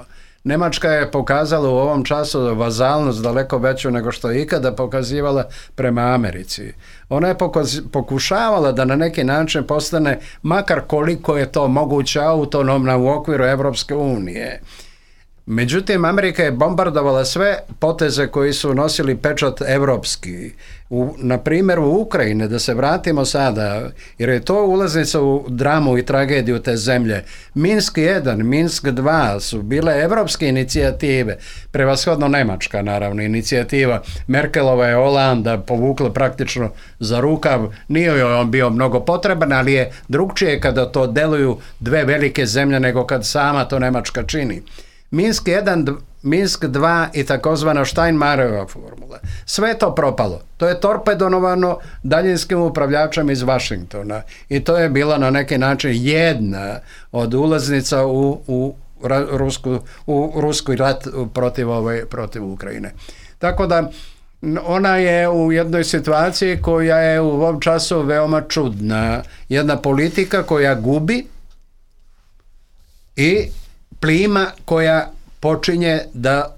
Nemačka je pokazala u ovom času vazalnost daleko veću nego što je ikada pokazivala prema Americi. Ona je pokušavala da na neki način postane, makar koliko je to moguće, autonomna u okviru Evropske unije. Međutim, Amerika je bombardovala sve poteze koji su nosili pečat evropski. Na primjer u Ukrajini, da se vratimo sada, jer je to ulaznica u dramu i tragediju te zemlje. Minsk 1, Minsk 2 su bile evropske inicijative, prevashodno nemačka naravno inicijativa. Merkelova je Holanda povukla praktično za rukav, nije joj on bio mnogo potreban, ali je drugčije kada to deluju dve velike zemlje nego kad sama to Nemačka čini. Minsk 1, Minsk 2 i takozvana Steinmeierova formula. Sve je to propalo. To je torpedonovano daljinskim upravljačem iz Vašingtona i to je bila na neki način jedna od ulaznica u ruski rat protiv Ukrajine. Tako da ona je u jednoj situaciji koja je u ovom času veoma čudna. Jedna politika koja gubi i plima koja počinje da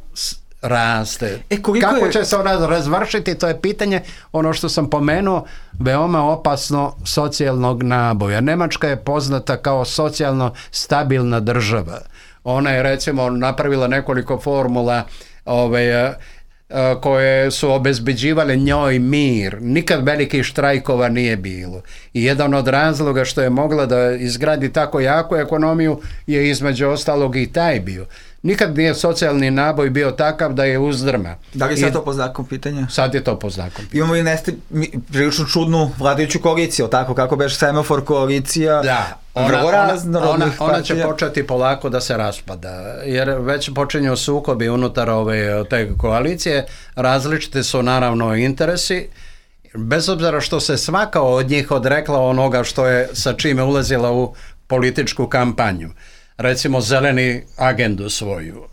raste. Kako će se ona razvršiti, to je pitanje, ono što sam pomenuo, veoma opasno socijalnog naboja. Nemačka je poznata kao socijalno stabilna država. Ona je recimo napravila nekoliko formula koje su obezbeđivale njoj mir. Nikad velikih štrajkova nije bilo. I jedan od razloga što je mogla da izgradi tako jaku ekonomiju je između ostalog i taj bio. Nikad nije socijalni naboj bio takav da je uzdrma. Da li sad to po znakom pitanja? Sad je to po znakom pitanja. Imamo i prilično čudnu vladajuću koaliciju, tako kako beš semafor koalicija. Da, ona će početi polako da se raspada, jer već počinju sukobi unutar te koalicije, različite su naravno interesi, bez obzira što se svaka od njih odrekla onoga što je sa čime ulazila u političku kampanju. Recimo zeleni agendu svoju.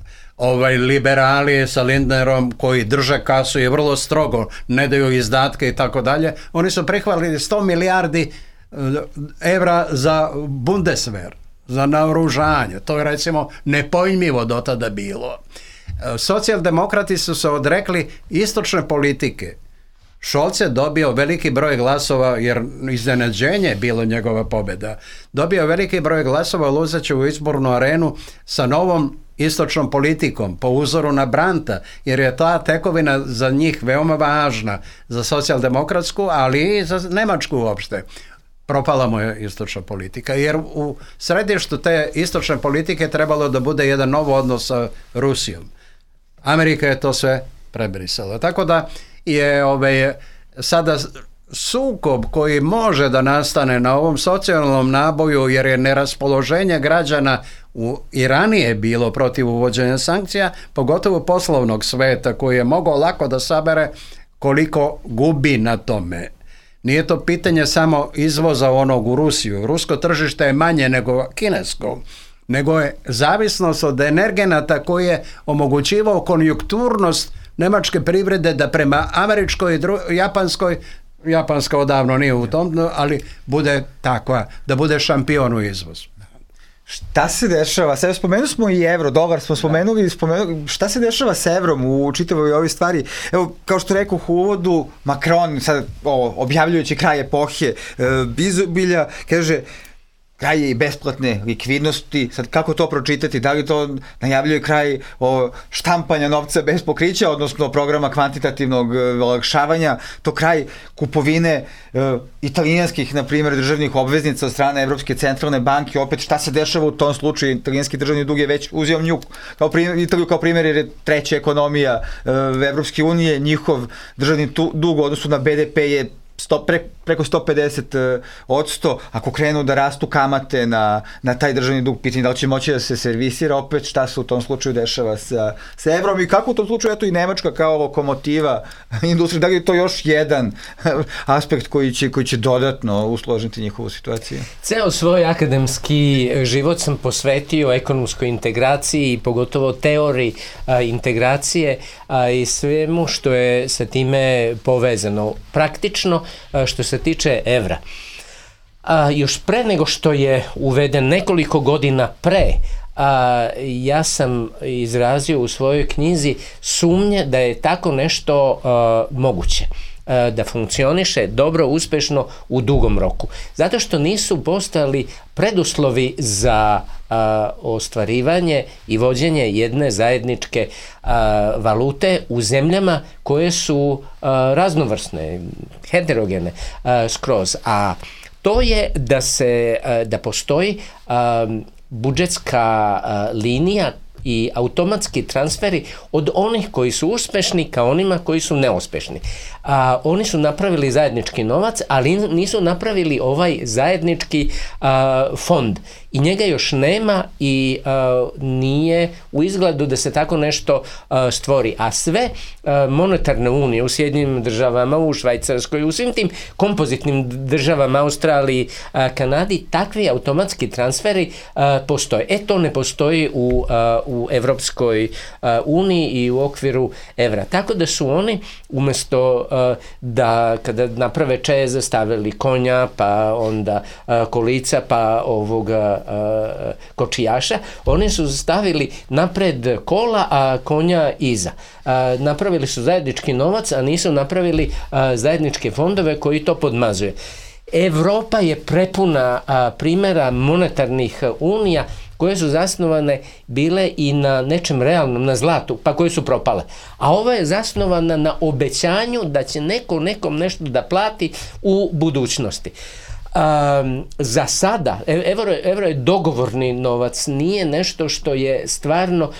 Liberali sa Lindnerom koji drže kasu i vrlo strogo ne daju izdatke i tako dalje, oni su prihvatili 100 milijardi evra za Bundeswehr, za naoružanje. To je recimo nepojmljivo do tada bilo. Socijaldemokrati su se odrekli istočne politike. Scholz je dobio veliki broj glasova, jer iznenađenje je bilo njegova pobjeda. Dobio veliki broj glasova, ulazeći u izbornu arenu sa novom istočnom politikom, po uzoru na Brandta, jer je ta tekovina za njih veoma važna, za socijaldemokratsku, ali i za Nemačku uopšte. Propala mu je istočna politika, jer u središtu te istočne politike trebalo da bude jedan nov odnos sa Rusijom. Amerika je to sve prebrisala. Tako da je sada sukob koji može da nastane na ovom socijalnom naboju, jer je neraspoloženje građana i ranije bilo protiv uvođenja sankcija, pogotovo poslovnog sveta koji je mogao lako da sabere koliko gubi na tome. Nije to pitanje samo izvoza onog u Rusiju. Rusko tržište je manje nego kinesko, nego je zavisnost od energenata koji je omogućivao konjunkturnost nemačke privrede da prema američkoj i japanskoj, japanska odavno nije u tom, ali bude takva, da bude šampion u izvozu. Šta se dešava? Sada spomenuli smo i evro, dolar smo spomenuli, šta se dešava s evrom u čitavoj ovoj stvari? Evo, kao što rekao u uvodu, Macron, sad objavljujući kraj epohe izobilja, kaže kraj i besplatne likvidnosti, sad kako to pročitati, da li to najavljuje kraj štampanja novca bez pokrića, odnosno programa kvantitativnog olakšavanja, to kraj kupovine italijanskih, na primjer, državnih obveznica od strane Evropske centralne banke, opet šta se dešava u tom slučaju, italijanski državni dug je već uzeo nju, Italiju kao primjer jer je treća ekonomija Evropske unije, njihov državni dug u odnosu na BDP je preko 150%, ako krenu da rastu kamate na taj državni dug, pitanje da li će moći da se servisira, opet šta se u tom slučaju dešava sa evrom i kako u tom slučaju eto i Nemačka kao lokomotiva industrije, da li je to još jedan aspekt koji će dodatno usložiti njihovu situaciju? Ceo svoj akademski život sam posvetio ekonomskoj integraciji i pogotovo teoriji integracije i svemu što je sa time povezano. Praktično, što se tiče evra, još pre nego što je uveden nekoliko godina pre, ja sam izrazio u svojoj knjizi sumnje da je tako nešto moguće da funkcioniše dobro, uspešno u dugom roku. Zato što nisu postojali preduslovi za ostvarivanje i vođenje jedne zajedničke valute u zemljama koje su raznovrsne, heterogene skroz. A to je da postoji budžetska linija i automatski transferi od onih koji su uspešni ka onima koji su neuspešni. Oni su napravili zajednički novac, ali nisu napravili ovaj zajednički fond. I njega još nema i nije u izgledu da se tako nešto stvori. A sve monetarne unije u Sjedinjenim državama, u Švajcarskoj, u svim tim kompozitnim državama, Australiji, Kanadi, takvi automatski transferi postoje. To ne postoji u Evropskoj uniji i u okviru evra. Tako da su oni umjesto da kada naprave čeze stavili konja, pa onda kolica, pa ovoga kočijaša, oni su stavili napred kola, a konja iza. Napravili su zajednički novac, a nisu napravili zajedničke fondove koji to podmazuje. Evropa je prepuna primjera monetarnih unija koje su zasnovane bile i na nečem realnom, na zlatu, pa koje su propale. A ova je zasnovana na obećanju da će neko nekom nešto da plati u budućnosti. Za sada, evro je dogovorni novac, nije nešto što je stvarno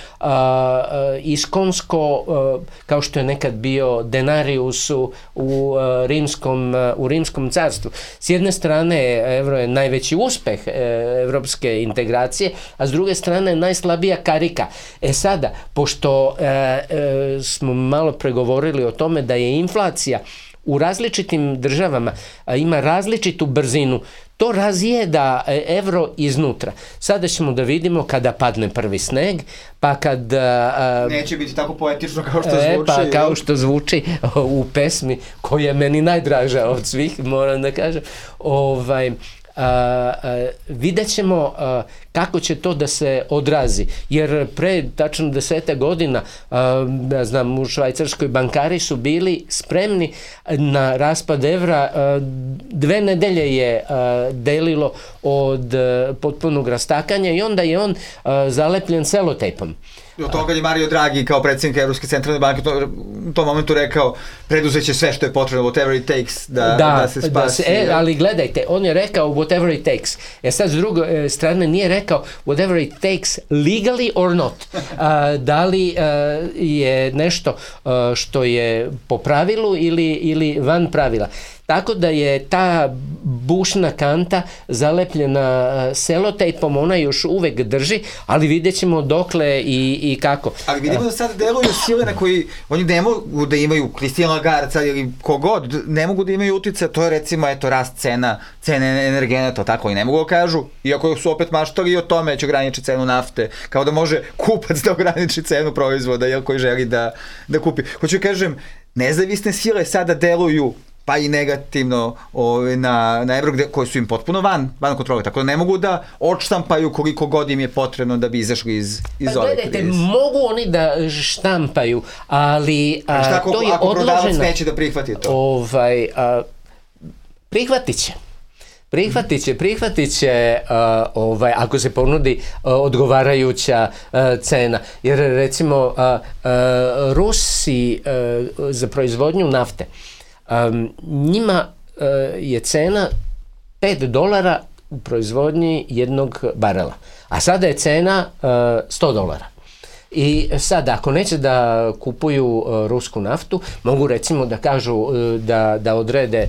iskonsko, kao što je nekad bio denarius u rimskom carstvu. S jedne strane, evro je najveći uspeh evropske integracije, a s druge strane najslabija karika. Sada, pošto smo malo pregovorili o tome da je inflacija u različitim državama ima različitu brzinu, to razjeda evro iznutra. Sada ćemo da vidimo kada padne prvi sneg, pa kad... Neće biti tako poetično kao što zvuči. Pa kao što zvuči u pesmi, koja je meni najdraža od svih, moram da kažem. Vidjet ćemo kako će to da se odrazi, jer pre tačno 10 godina ja znam, u Švajcarskoj bankari su bili spremni na raspad evra. 2 nedelje je delilo od potpunog rastakanja i onda je on zalepljen selotejpom. Od toga je Mario Draghi kao predsjednik Evropske centralne banke u tom momentu rekao preduzeće sve što je potrebno, whatever it takes, da se spasi. Ali gledajte, on je rekao whatever it takes. Sad s druge strane nije rekao whatever it takes legally or not. Da li je nešto što je po pravilu ili van pravila. Tako da je ta bušna kanta zalepljena selotejpom, ona još uvek drži, ali vidjet ćemo dokle i kako. Ali vidimo da sad deluju sile na koji oni ne mogu da imaju, Christine Lagarde ili kogod, ne mogu da imaju utjecaj, to je recimo rast cene energenata, tako i ne mogu da kažu, iako su opet maštali o tome će ograničiti cenu nafte, kao da može kupac da ograniči cenu proizvoda koji želi da kupi. Hoću kažem, nezavisne sile sada deluju pa i negativno na evro, koji su im potpuno van kontrole, tako da ne mogu da odštampaju koliko god im je potrebno da bi izašli iz ove krize. Gledajte, mogu oni da štampaju, ali to je ako odloženo. Prodavac neće da prihvati to? Prihvatit će ako se ponudi odgovarajuća cena. Jer recimo Rusi za proizvodnju nafte, njima je cena $5 u proizvodnji jednog barela, a sada je cena $100. I sad, ako neće da kupuju rusku naftu, mogu recimo da kažu da odrede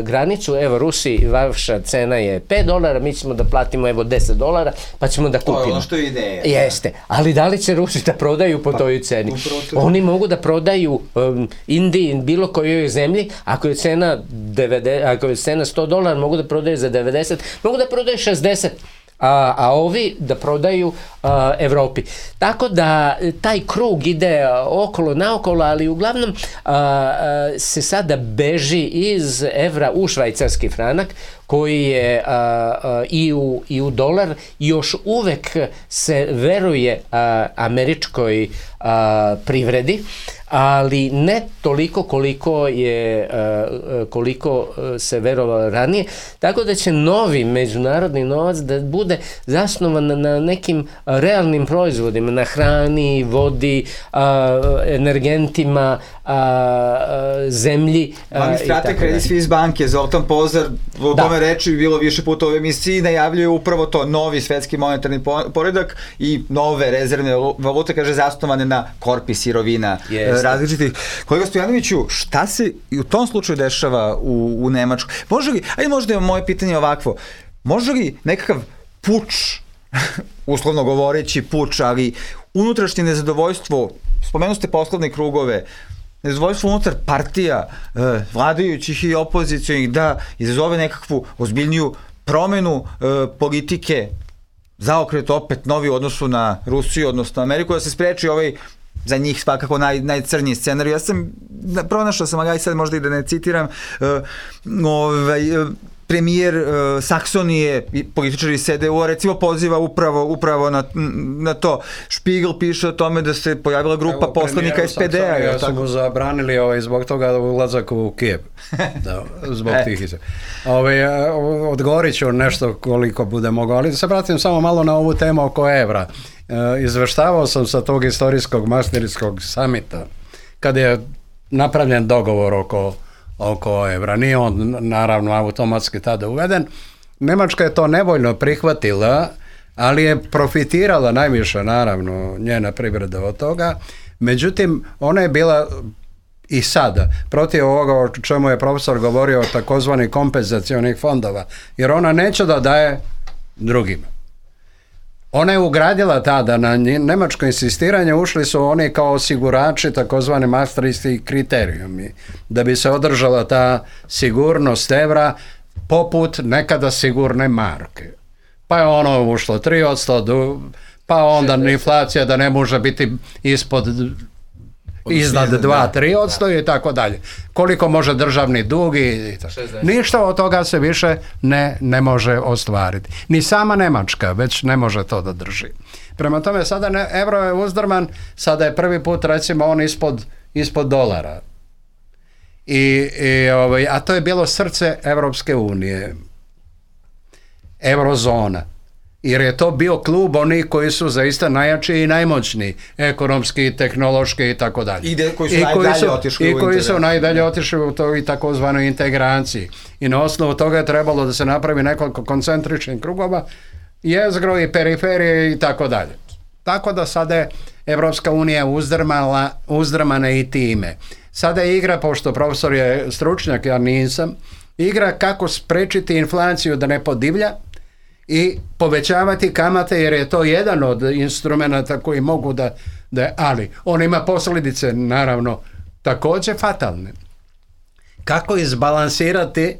granicu, evo Rusi, vaša cena je $5, mi ćemo da platimo evo $10, pa ćemo da kupimo. To je ono što je ideja. Jeste, ali da li će Rusi da prodaju po toj ceni? Oni mogu da prodaju Indiji, bilo kojoj zemlji, ako je cena $100, mogu da prodaju za 90, mogu da prodaju 60. A ovi da prodaju Evropi. Tako da taj krug ide okolo naokolo, ali uglavnom se sada beži iz evra u švajcarski franak, koji je i u dolar, još uvek se veruje američkoj privredi, ali ne toliko koliko se verovalo ranije, tako da će novi međunarodni novac da bude zasnovan na nekim realnim proizvodima, na hrani, vodi, energentima, zemlji. Administrator Credit Suisse banke Zoltan Pozar o tome reči bilo više puta u emisiji, najavljuje upravo to, novi svetski monetarni poredak i nove rezervne valute, kaže, zasnovane na korpi sirovina različitih. Kolega Stojanoviću, šta se i u tom slučaju dešava u Nemačkoj? Može li, ajde možda je moje pitanje ovakvo, može li nekakav puč, uslovno govoreći puč, ali unutrašnje nezadovoljstvo, spomenu ste poslovne krugove, nezadovoljstvo unutar partija vladajućih i opozicionih da izazove nekakvu ozbiljniju promenu politike, zaokret opet novi u odnosu na Rusiju, odnosno Ameriku, da se spreči ovaj za njih svakako najcrniji scenarij. Ja sam pronašao sam, ali sad možda i da ne citiram, premijer Saksonije i političari CDU-a recimo poziva upravo na to. Spiegel piše o tome da se pojavila grupa poslanika SPD-a. Ja su mu zabranili zbog toga ulazak u Kijev. Zbog tih izjava. Odgovorit ću nešto koliko bude mogao, ali se vratim samo malo na ovu temu oko evra. Izveštavao sam sa tog istorijskog Maastrichtskog samita kad je napravljen dogovor oko evra. Nije on naravno automatski tada uveden. Nemačka je to nevoljno prihvatila, ali je profitirala najviše naravno njena privreda od toga. Međutim, ona je bila i sada protiv ovoga o čemu je profesor govorio, takozvani kompenzacionih fondova, jer ona neće da daje drugima. Ona je ugradila tada na nemačko insistiranje, ušli su oni kao osigurači, takozvani Maastrichtski kriterijumi, da bi se održala ta sigurnost evra poput nekada sigurne marke. Pa je ono ušlo 3%, pa onda inflacija da ne može biti iznad 2-3% i tako dalje. Koliko može državni dug i ništa od toga se više ne može ostvariti. Ni sama Nemačka već ne može to da drži. Prema tome sada evro je uzdrman, sada je prvi put recimo on ispod dolara. A to je bilo srce Evropske unije. Eurozona. Jer je to bio klub onih koji su zaista najjači i najmoćniji, ekonomski, tehnološki i tako dalje. I koji su najdalje otišli u toj takozvanoj integraciji. I na osnovu toga je trebalo da se napravi nekoliko koncentričnih krugova, jezgro i periferije i tako dalje. Tako da sada je Evropska unija uzdrmana i time. Sada je igra, pošto profesor je stručnjak, ja nisam, igra kako sprečiti inflaciju da ne podivlja i povećavati kamate, jer je to jedan od instrumenta koji mogu ali on ima posljedice naravno također fatalne. Kako izbalansirati,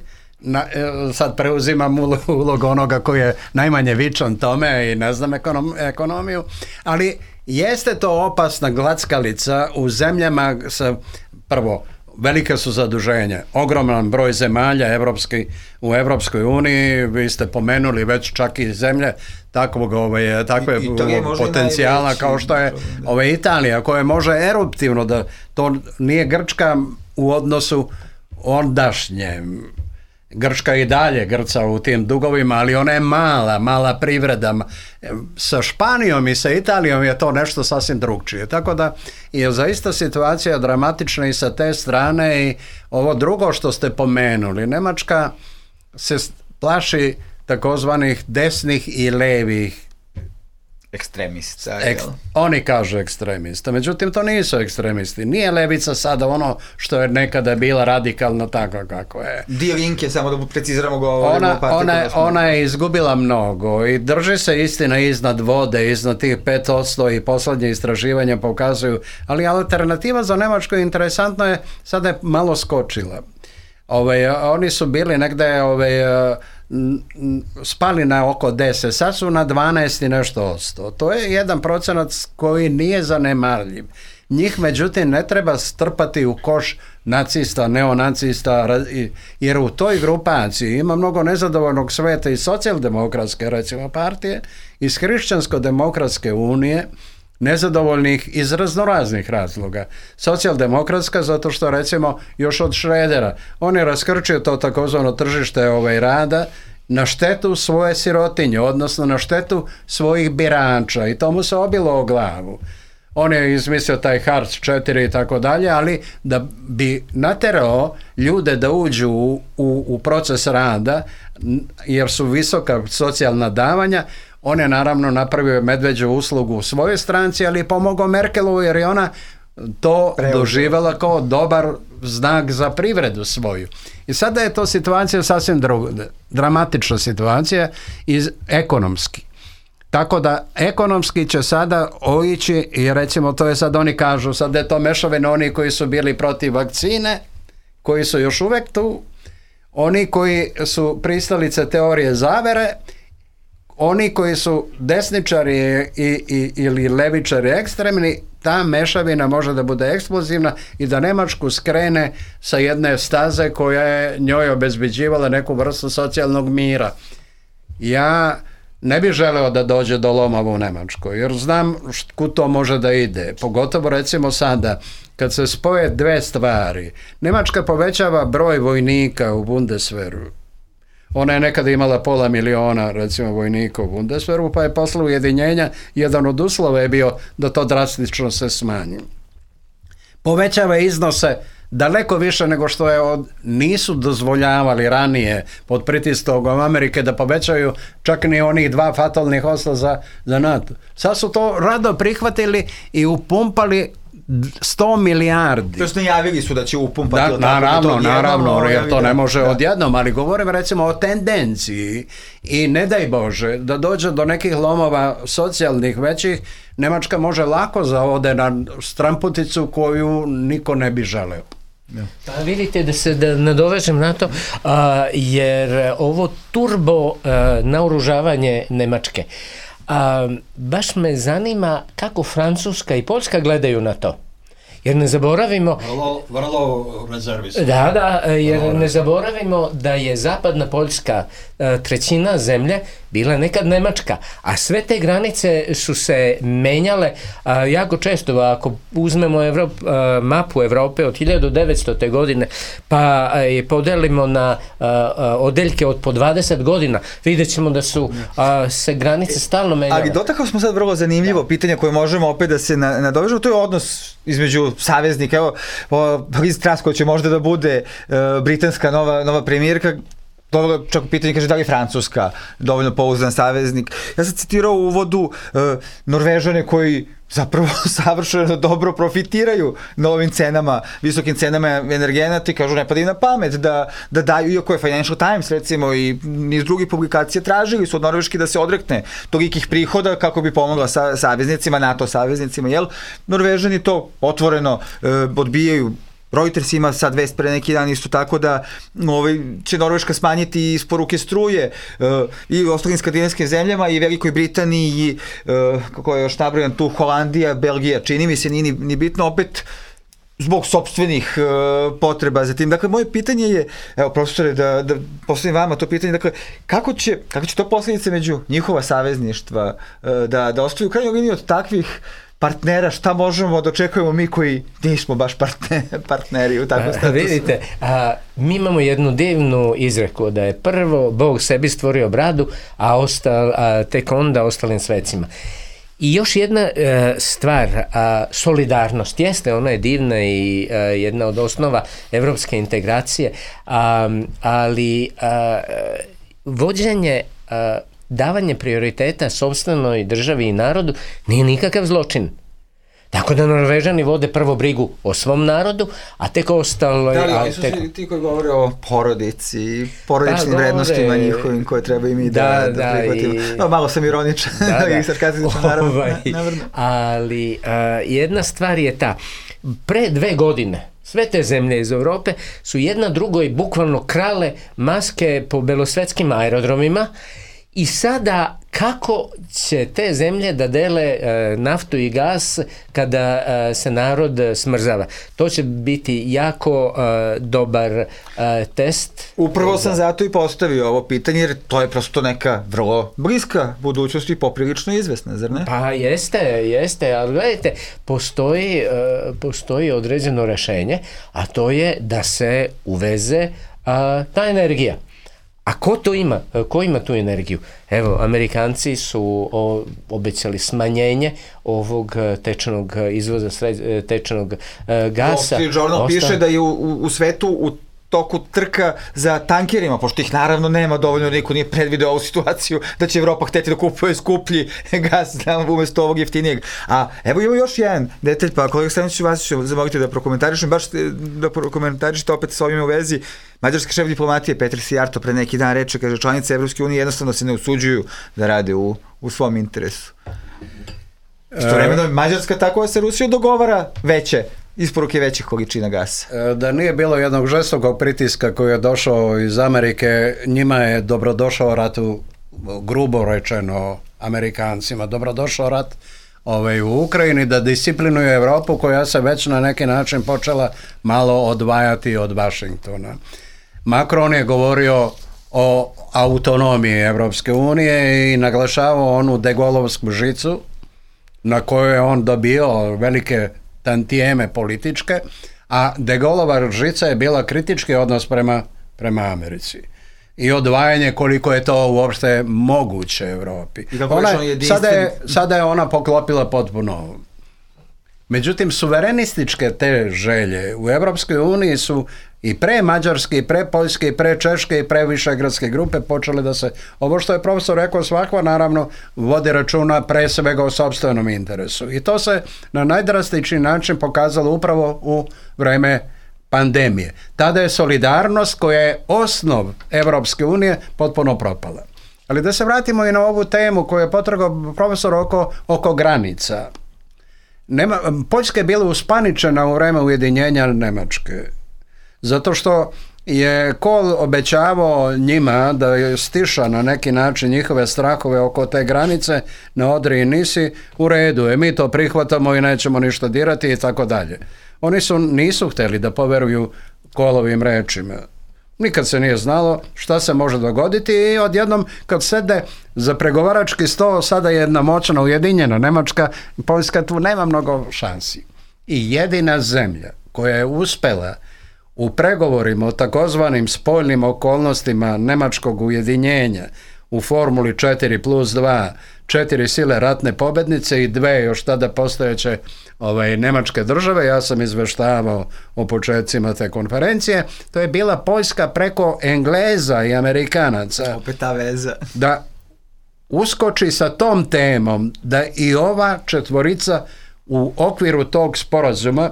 sad preuzimam ulogu onoga koji je najmanje vičan tome i ne znam ekonomiju, ali jeste to opasna glackalica u zemljama sa, prvo, velike su zaduženja, ogroman broj zemalja u Evropskoj uniji, vi ste pomenuli već čak i zemlje takve potencijala kao što je Italija, koja može eruptivno, da to nije Grčka u odnosu ondašnje. Grčka i dalje grca u tim dugovima, ali ona je mala privreda. Sa Španijom i sa Italijom je to nešto sasvim drugčije. Tako da je zaista situacija dramatična i sa te strane. I ovo drugo što ste pomenuli, Nemačka se plaši takozvanih desnih i levih ekstremista. Oni kažu ekstremista, međutim to nisu ekstremisti. Nije levica sada ono što je nekada bila radikalno tako kako je. Die Linke, samo da preciziramo ona je izgubila mnogo i drži se istina iznad vode, iznad tih 5% i posljednje istraživanja pokazuju, ali alternativa za Nemačku interesantno je, sada je malo skočila. Oni su bili negde spali na oko 10, sad su na 12 i nešto %. To je 1% koji nije zanemarljiv. Njih međutim ne treba strpati u koš nacista, neonacista, jer u toj grupaciji ima mnogo nezadovoljnog sveta iz socijaldemokratske recimo partije, iz hrišćansko-demokratske unije, nezadovoljnih iz raznoraznih razloga. Socijaldemokratska zato što recimo još od Šredera on je raskrčio to takozvano tržište rada na štetu svoje sirotinje, odnosno na štetu svojih birača i to mu se obilo o glavu. On je izmislio taj Hartz 4 i tako dalje, ali da bi naterao ljude da uđu u proces rada jer su visoka socijalna davanja, on je naravno napravio medveđu uslugu u svojoj stranci, ali je pomogao Merkelovu jer je ona to doživjela kao dobar znak za privredu svoju. I sada je to situacija sasvim dramatična situacija ekonomski. Tako da ekonomski će sada oići i recimo to je sad oni kažu, sad je to mešavina oni koji su bili protiv vakcine, koji su još uvijek tu, oni koji su pristalice teorije zavere, oni koji su desničari ili levičari ekstremni, ta mešavina može da bude eksplozivna i da Njemačku skrene sa jedne staze koja je njoj obezbeđivala neku vrstu socijalnog mira. Ja ne bih želeo da dođe do lomova u Njemačkoj, jer znam kud to može da ide. Pogotovo recimo sada, kad se spoje dve stvari. Njemačka povećava broj vojnika u Bundeswehru. Ona je nekada imala 500.000 recimo vojnika u Bundeswehru, pa je posle ujedinjenja jedan od uslova je bio da to drastično se smanji. Povećava iznose daleko više nego što je nisu dozvoljavali ranije pod pritiskom Amerike da povećaju čak ni onih 2 fatalnih osla za NATO. Sad su to rado prihvatili i upumpali 100 milijardi. To su najavili su da će upumpati. Naravno, jer to ne može odjednom, ali govorim recimo o tendenciji i ne daj Bože da dođe do nekih lomova socijalnih većih, Njemačka može lako zaode na stramputicu koju niko ne bi želeo. Pa vidite da nadovežem na to, jer ovo turbo naoružavanje Njemačke, baš me zanima kako Francuska i Poljska gledaju na to. Jer ne zaboravimo... Vrlo rezervisno. Jer ne zaboravimo da je zapadna Poljska trećina zemlje bila nekad Njemačka, a sve te granice su se menjale jako često. Ako uzmemo mapu Evrope od 1900. godine pa je podelimo na odeljke od po 20 godina, vidjet ćemo da su se granice stalno menjale. Ali dotakao smo sad vrlo zanimljivo pitanje koje možemo opet da se nadovežemo, to je odnos između saveznika. Evo, Liz Truss koja će možda da bude britanska nova premijerka, dobro, čak pitanje kaže da li je Francuska dovoljno pouzdan saveznik. Ja sam citirao u uvodu Norvežane koji zapravo savršeno dobro profitiraju na ovim cenama, visokim cenama energenata i kažu ne pada im na pamet da daju, iako je Financial Times recimo i niz drugih publikacija tražili su od Norveške da se odrekne tolikih prihoda kako bi pomogla saveznicima, NATO saveznicima, jel? Norvežani to otvoreno odbijaju. Reuters ima sad vest pre neki dan isto tako da će Norveška smanjiti isporuke struje i u ostalim skandinavskim zemljama i Velikoj Britaniji i kako je još nabrojan tu Holandija, Belgija, čini mi se nije ni bitno opet zbog sopstvenih potreba za tim. Dakle, moje pitanje je, evo profesore, da postavim vama to pitanje, dakle, kako će to posljedice među njihova savezništva da ostaju u krajnjoj liniji od takvih partnera, šta možemo da očekujemo mi koji nismo baš partneri u takvom statusu? Vidite, mi imamo jednu divnu izreku da je prvo Bog sebi stvorio bradu, a tek onda ostalim svecima. I još jedna stvar, solidarnost jeste, ona je divna i jedna od osnova evropske integracije, ali vođenje davanje prioriteta sopstvenoj državi i narodu nije nikakav zločin. Tako da Norvežani vode prvo brigu o svom narodu, a tek ostalo... Da li oni su ti koji govore o porodici, porodičnim vrednostima njihovim koje treba i mi da prihvatimo. Malo sam ironičan i sarkastičan, naravno. Ali jedna stvar je ta, pre 2 godine sve te zemlje iz Evrope su jedna drugoj bukvalno krale maske po belosvetskim aerodromima I sada kako će te zemlje da dele naftu i gas kada se narod smrzava? To će biti jako dobar test. Upravo sam zato i postavio ovo pitanje, jer to je prosto neka vrlo bliska budućnost i poprilično izvesna, zar ne? Pa jeste, ali gledajte, postoji određeno rešenje, a to je da se uveze ta energija. A ko to ima? Ko ima tu energiju? Evo, Amerikanci su obećali smanjenje ovog tečnog izvoza, tečnog gasa. Wall Street Journal piše da je u svetu u toku trka za tankerima, pošto ih naravno nema dovoljno, niko nije predvideo ovu situaciju da će Evropa hteti da kupuje skuplji gas umesto ovog jeftinijeg. A evo ima još jedan detalj, pa kolega Staniću, vas ću zamoliti da prokomentarišem, baš da prokomentarišete opet s ovim u vezi. Mađarski šef diplomatije Petr Sijarto pre neki dan reče, kaže, članice Evropske unije jednostavno se ne usuđuju da rade u svom interesu. Istovremeno Mađarska tako se Rusija dogovara veće isporuke većih količina gasa. Da nije bilo jednog žestokog pritiska koji je došao iz Amerike, njima je dobrodošao rat grubo rečeno Amerikancima, dobrodošao rat u Ukrajini da disciplinuje Evropu koja se već na neki način počela malo odvajati od Vašingtona. Macron je govorio o autonomiji Evropske unije i naglašavao onu degolovsku žicu na kojoj je on dobio velike tantijeme političke, a de Gaulleova žica je bila kritički odnos prema Americi. I odvajanje koliko je to uopšte moguće Evropi. Sada je ona poklopila potpuno. Međutim, suverenističke te želje u Evropskoj uniji su i pre Mađarske, i pre Poljske, i pre Češke, i pre Višegradske grupe počele da se, ovo što je profesor rekao, svakako naravno vodi računa pre svega o sopstvenom interesu. I to se na najdrastičniji način pokazalo upravo u vreme pandemije. Tada je solidarnost koja je osnov Evropske unije potpuno propala. Ali da se vratimo i na ovu temu koju je potragao profesor oko granica. Poljska je bila uspaničena u vreme ujedinjenja Nemačke. Zato što je Kohl obećavao njima da je stiša na neki način njihove strahove oko te granice na Odri i Nisi, u redu, mi to prihvatamo i nećemo ništa dirati i tako dalje. Oni nisu htjeli da poveruju Kohlovim rečima. Nikad se nije znalo šta se može dogoditi i odjednom kad sede za pregovarački sto, sada je jedna moćna ujedinjena Nemačka, Poljska tu nema mnogo šansi. I jedina zemlja koja je uspela u pregovorima o takozvanim spoljnim okolnostima nemačkog ujedinjenja u formuli 4+2, 4 sile ratne pobednice i 2 još tada postojeće nemačke države, ja sam izveštavao o početcima te konferencije, to je bila Poljska preko Engleza i Amerikanaca. Opet ta veza. Da uskoči sa tom temom da i ova četvorica u okviru tog sporazuma,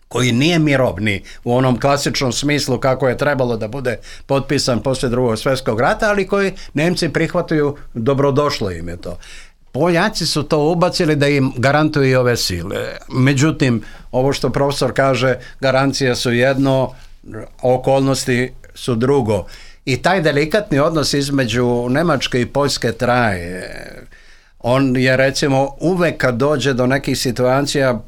koji nije mirovni u onom klasičnom smislu kako je trebalo da bude potpisan poslije Drugog svjetskog rata, ali koji Nemci prihvataju, dobrodošlo im je to. Poljaci su to ubacili da im garantuju i ove sile. Međutim, ovo što profesor kaže, garancije su jedno, okolnosti su drugo. I taj delikatni odnos između Nemačke i Poljske traje. On je, recimo, uvek kad dođe do nekih situacija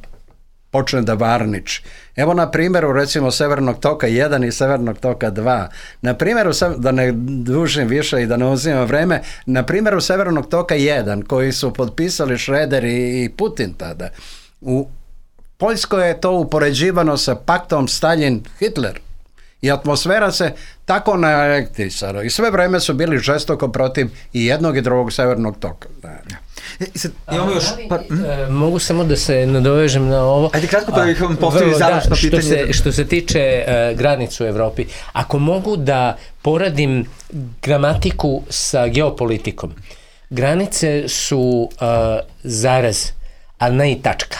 počne da varniči. Evo na primjeru recimo Severnog toka 1 i Severnog toka 2. Na primjeru, da ne dužim više i da ne uzimam vreme, na primjeru Severnog toka 1 koji su potpisali Šreder i Putin tada. U Poljskoj je to upoređivano sa paktom Stalin-Hitler. I atmosfera se tako naelektrisala. I sve vreme su bili žestoko protiv i jednog i drugog Severnog toka. Mogu samo da se nadovežem na ovo. Ajde kratko da ih vam postavim završno pitanje. Što se tiče granicu u Evropi, ako mogu da poradim gramatiku sa geopolitikom, granice su zarez, ali ne i tačka.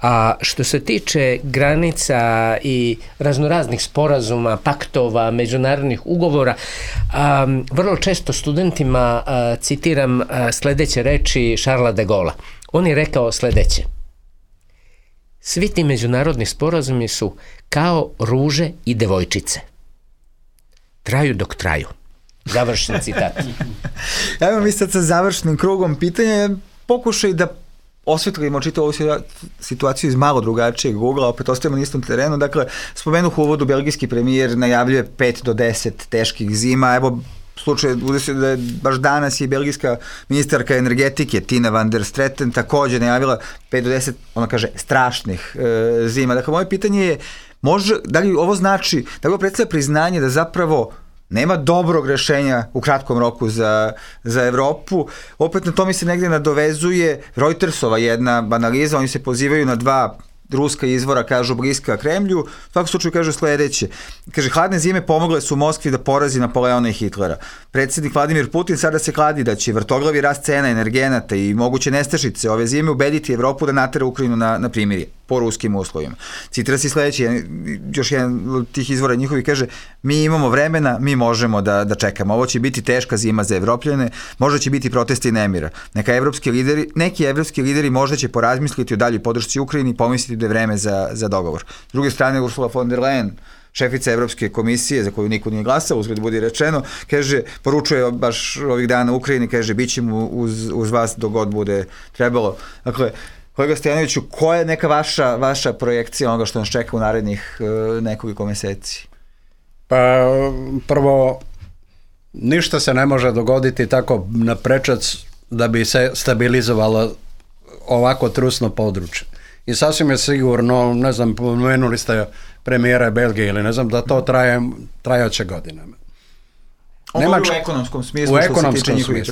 A što se tiče granica i raznoraznih sporazuma, paktova, međunarodnih ugovora, vrlo često studentima citiram sledeće reči Charlesa de Gaulle'a. On je rekao sledeće: svi ti međunarodni sporazumi su kao ruže i devojčice. Traju dok traju. Završen citat. Evo mi sad sa završnim krugom pitanja, pokušaj da osvetlimo čitavu ovu situaciju iz malo drugačijeg ugla, opet ostajemo na istom terenu. Dakle, spomenuh u uvodu, belgijski premijer najavljuje 5 do 10 teških zima. Evo, slučaj da je baš danas i belgijska ministarka energetike Tina van der Straten također najavila 5 do 10, ona kaže, strašnih zima. Dakle, moje pitanje je, da li ovo znači, da li ovo predstavlja priznanje da zapravo nema dobrog rešenja u kratkom roku za Evropu? Opet na to mi se negdje nadovezuje Reutersova jedna analiza, oni se pozivaju na 2 ruska izvora, kažu bliska Kremlju, u svakom slučaju kažu sledeće. Kaže, hladne zime pomogle su Moskvi da porazi Napoleona i Hitlera. Predsjednik Vladimir Putin sada se kladi da će vrtoglavi rast cena energenata i moguće nestašice ove zime ubediti Evropu da natera Ukrajinu na primirje po ruskim uslovima. Citira se sledeće, još jedan od tih izvora njihovi kaže, mi imamo vremena, mi možemo da čekamo. Ovo će biti teška zima za Evropljane, možda će biti protesti nemira. Neki evropski lideri možda će porazmisliti o daljoj podršci Ukrajini i pomisliti da je vreme za dogovor. S druge strane, Ursula von der Leyen, šefica Evropske komisije, za koju niko nije glasao, uzgled budi rečeno, kaže, poručuje baš ovih dana Ukrajini, kaže, bit ćemo uz vas dok god bude trebalo. Dakle, kolega Stojanoviću, koja je neka vaša projekcija onoga što nas čeka u narednih nekoliko meseci? Pa, prvo, ništa se ne može dogoditi tako na prečac da bi se stabilizovalo ovako trusno područje. I sasvim je sigurno, ne znam, pomenuli ste premijera Belgije ili ne znam, da to trajaće godinama. Ovo u ekonomskom smislu,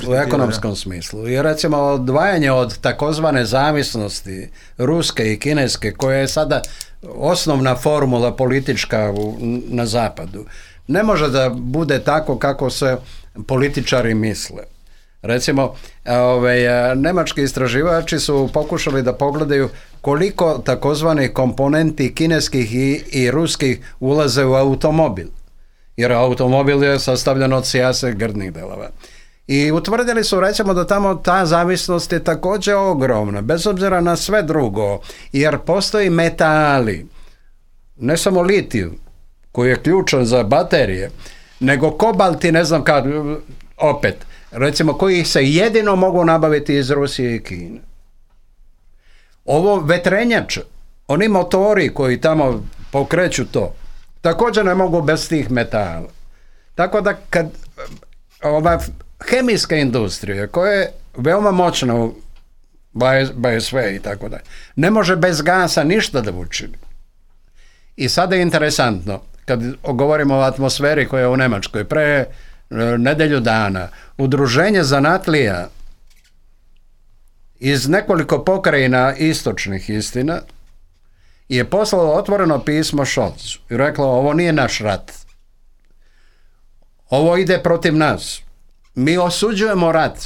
u ekonomskom smislu. I recimo odvajanje od takozvane zavisnosti ruske i kineske, koja je sada osnovna formula politička na zapadu, ne može da bude tako kako se političari misle. Recimo, nemački istraživači su pokušali da pogledaju koliko takozvanih komponenti kineskih i ruskih ulaze u automobil. Jer automobil je sastavljen od sjase grdnih delova. I utvrdili su, recimo, da tamo ta zavisnost je također ogromna, bez obzira na sve drugo, jer postoji metali, ne samo litiju, koji je ključan za baterije, nego kobalt i ne znam kad, opet, recimo, koji se jedino mogu nabaviti iz Rusije i Kine. Ovo vetrenjače, oni motori koji tamo pokreću to, također ne mogu bez tih metala. Tako da kad ova hemijska industrija koja je veoma moćna u BSV i tako dalje, ne može bez gasa ništa da učini. I sada je interesantno, kad govorimo o atmosferi koja je u Nemačkoj, pre nedelju dana, udruženje zanatlija iz nekoliko pokrajina istočnih, istina, je poslalo otvoreno pismo Scholzu i reklo, ovo nije naš rat. Ovo ide protiv nas. Mi osuđujemo rat.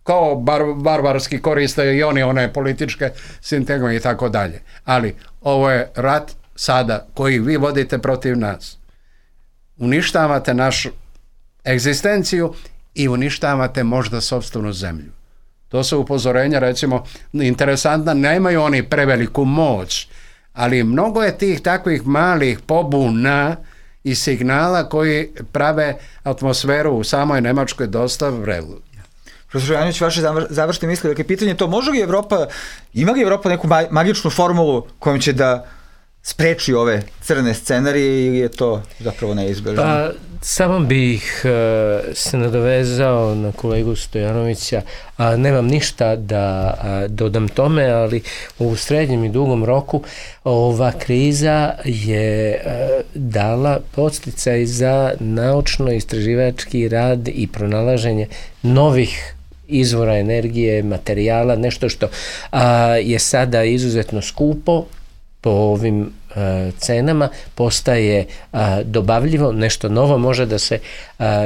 Kao barbarski koriste i oni one političke sintagme i tako dalje. Ali ovo je rat sada koji vi vodite protiv nas. Uništavate našu egzistenciju i uništavate možda sopstvenu zemlju. To su upozorenja, recimo, interesantna, nemaju oni preveliku moć, ali mnogo je tih takvih malih pobuna i signala koji prave atmosferu u samoj Nemačkoj dosta vrelu. Profesor Janović, vaše završne misli, dakle, pitanje je to, ima li Evropa neku magičnu formulu kojom će da spreči ove crne scenarije ili je to zapravo neizbežno? Pa, samo bih se nadovezao na kolegu Stojanovića, nemam ništa da dodam tome, ali u srednjem i dugom roku ova kriza je dala podsticaj za naučno-istraživački rad i pronalaženje novih izvora energije, materijala, nešto što je sada izuzetno skupo po ovim cenama, postaje dobavljivo, nešto novo može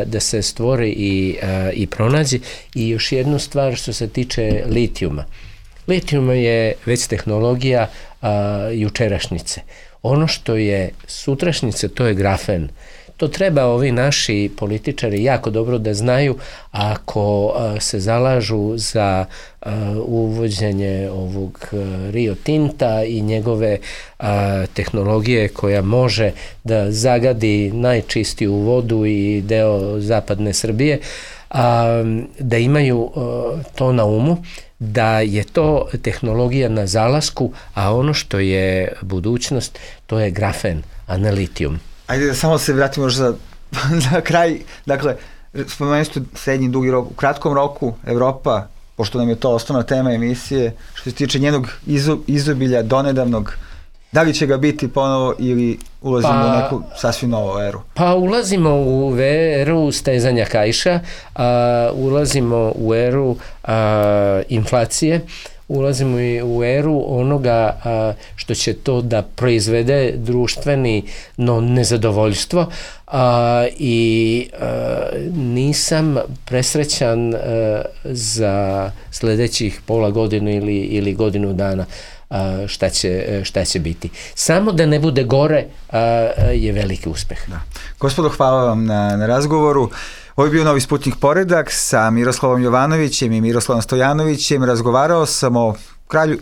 da se stvori i pronađe. I još jednu stvar što se tiče litijuma. Litijum je već tehnologija jučerašnjice. Ono što je sutrašnjice, to je grafen. To treba ovi naši političari jako dobro da znaju ako se zalažu za uvođenje ovog Rio Tinta i njegove tehnologije koja može da zagadi najčistiju vodu i deo zapadne Srbije, da imaju to na umu, da je to tehnologija na zalasku, a ono što je budućnost, to je grafen, a ne litijum. Ajde da samo se vratimo još za kraj. Dakle, spomenuli ste srednji i dugi rok. U kratkom roku Evropa, pošto nam je to osnovna tema emisije, što se tiče njenog izobilja donedavnog, da li će ga biti ponovo ili ulazimo u neku sasvim novu eru? Pa ulazimo u eru stezanja kaiša, ulazimo u eru inflacije, ulazimo i u eru onoga što će to da proizvede društveni nezadovoljstvo, i nisam presrećan za sledećih pola godine ili godinu dana šta će biti. Samo da ne bude gore je veliki uspeh. Da. Gospodo, hvala vam na razgovoru. Ovo je bio Novi Sputnik Poredak sa Miroslavom Jovanovićem i Miroslavom Stojanovićem. Razgovarao sam o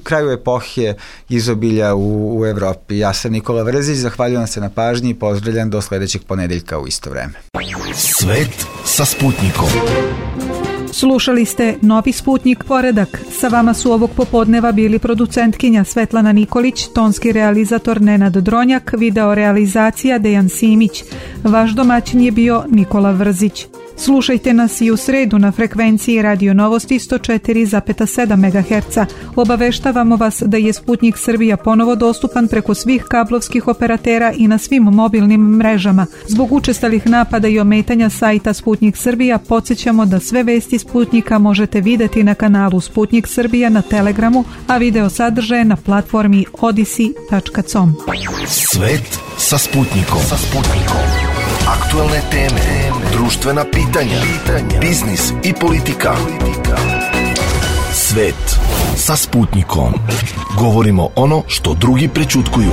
kraju epohe izobilja u Evropi. Ja sam Nikola Vrzić, zahvaljujem se na pažnji i pozdravljam do sledećeg ponedeljka u isto vreme. Svet sa Sputnikom. Slušali ste Novi Sputnik Poredak. Sa vama su ovog popodneva bili producentkinja Svetlana Nikolić, tonski realizator Nenad Dronjak, video realizacija Dejan Simić. Vaš domaćin je bio Nikola Vrzić. Slušajte nas i u sredu na frekvenciji Radio Novosti 104,7 MHz. Obaveštavamo vas da je Sputnik Srbija ponovo dostupan preko svih kablovskih operatera i na svim mobilnim mrežama. Zbog učestalih napada i ometanja sajta Sputnik Srbija podsjećamo da sve vesti Sputnika možete videti na kanalu Sputnik Srbija na Telegramu, a video sadržaje na platformi odyssey.com. Svet sa Sputnikom. Aktualne teme, društvena pitanja, biznis i politika. Svet sa Sputnikom. Govorimo ono što drugi prećutkuju.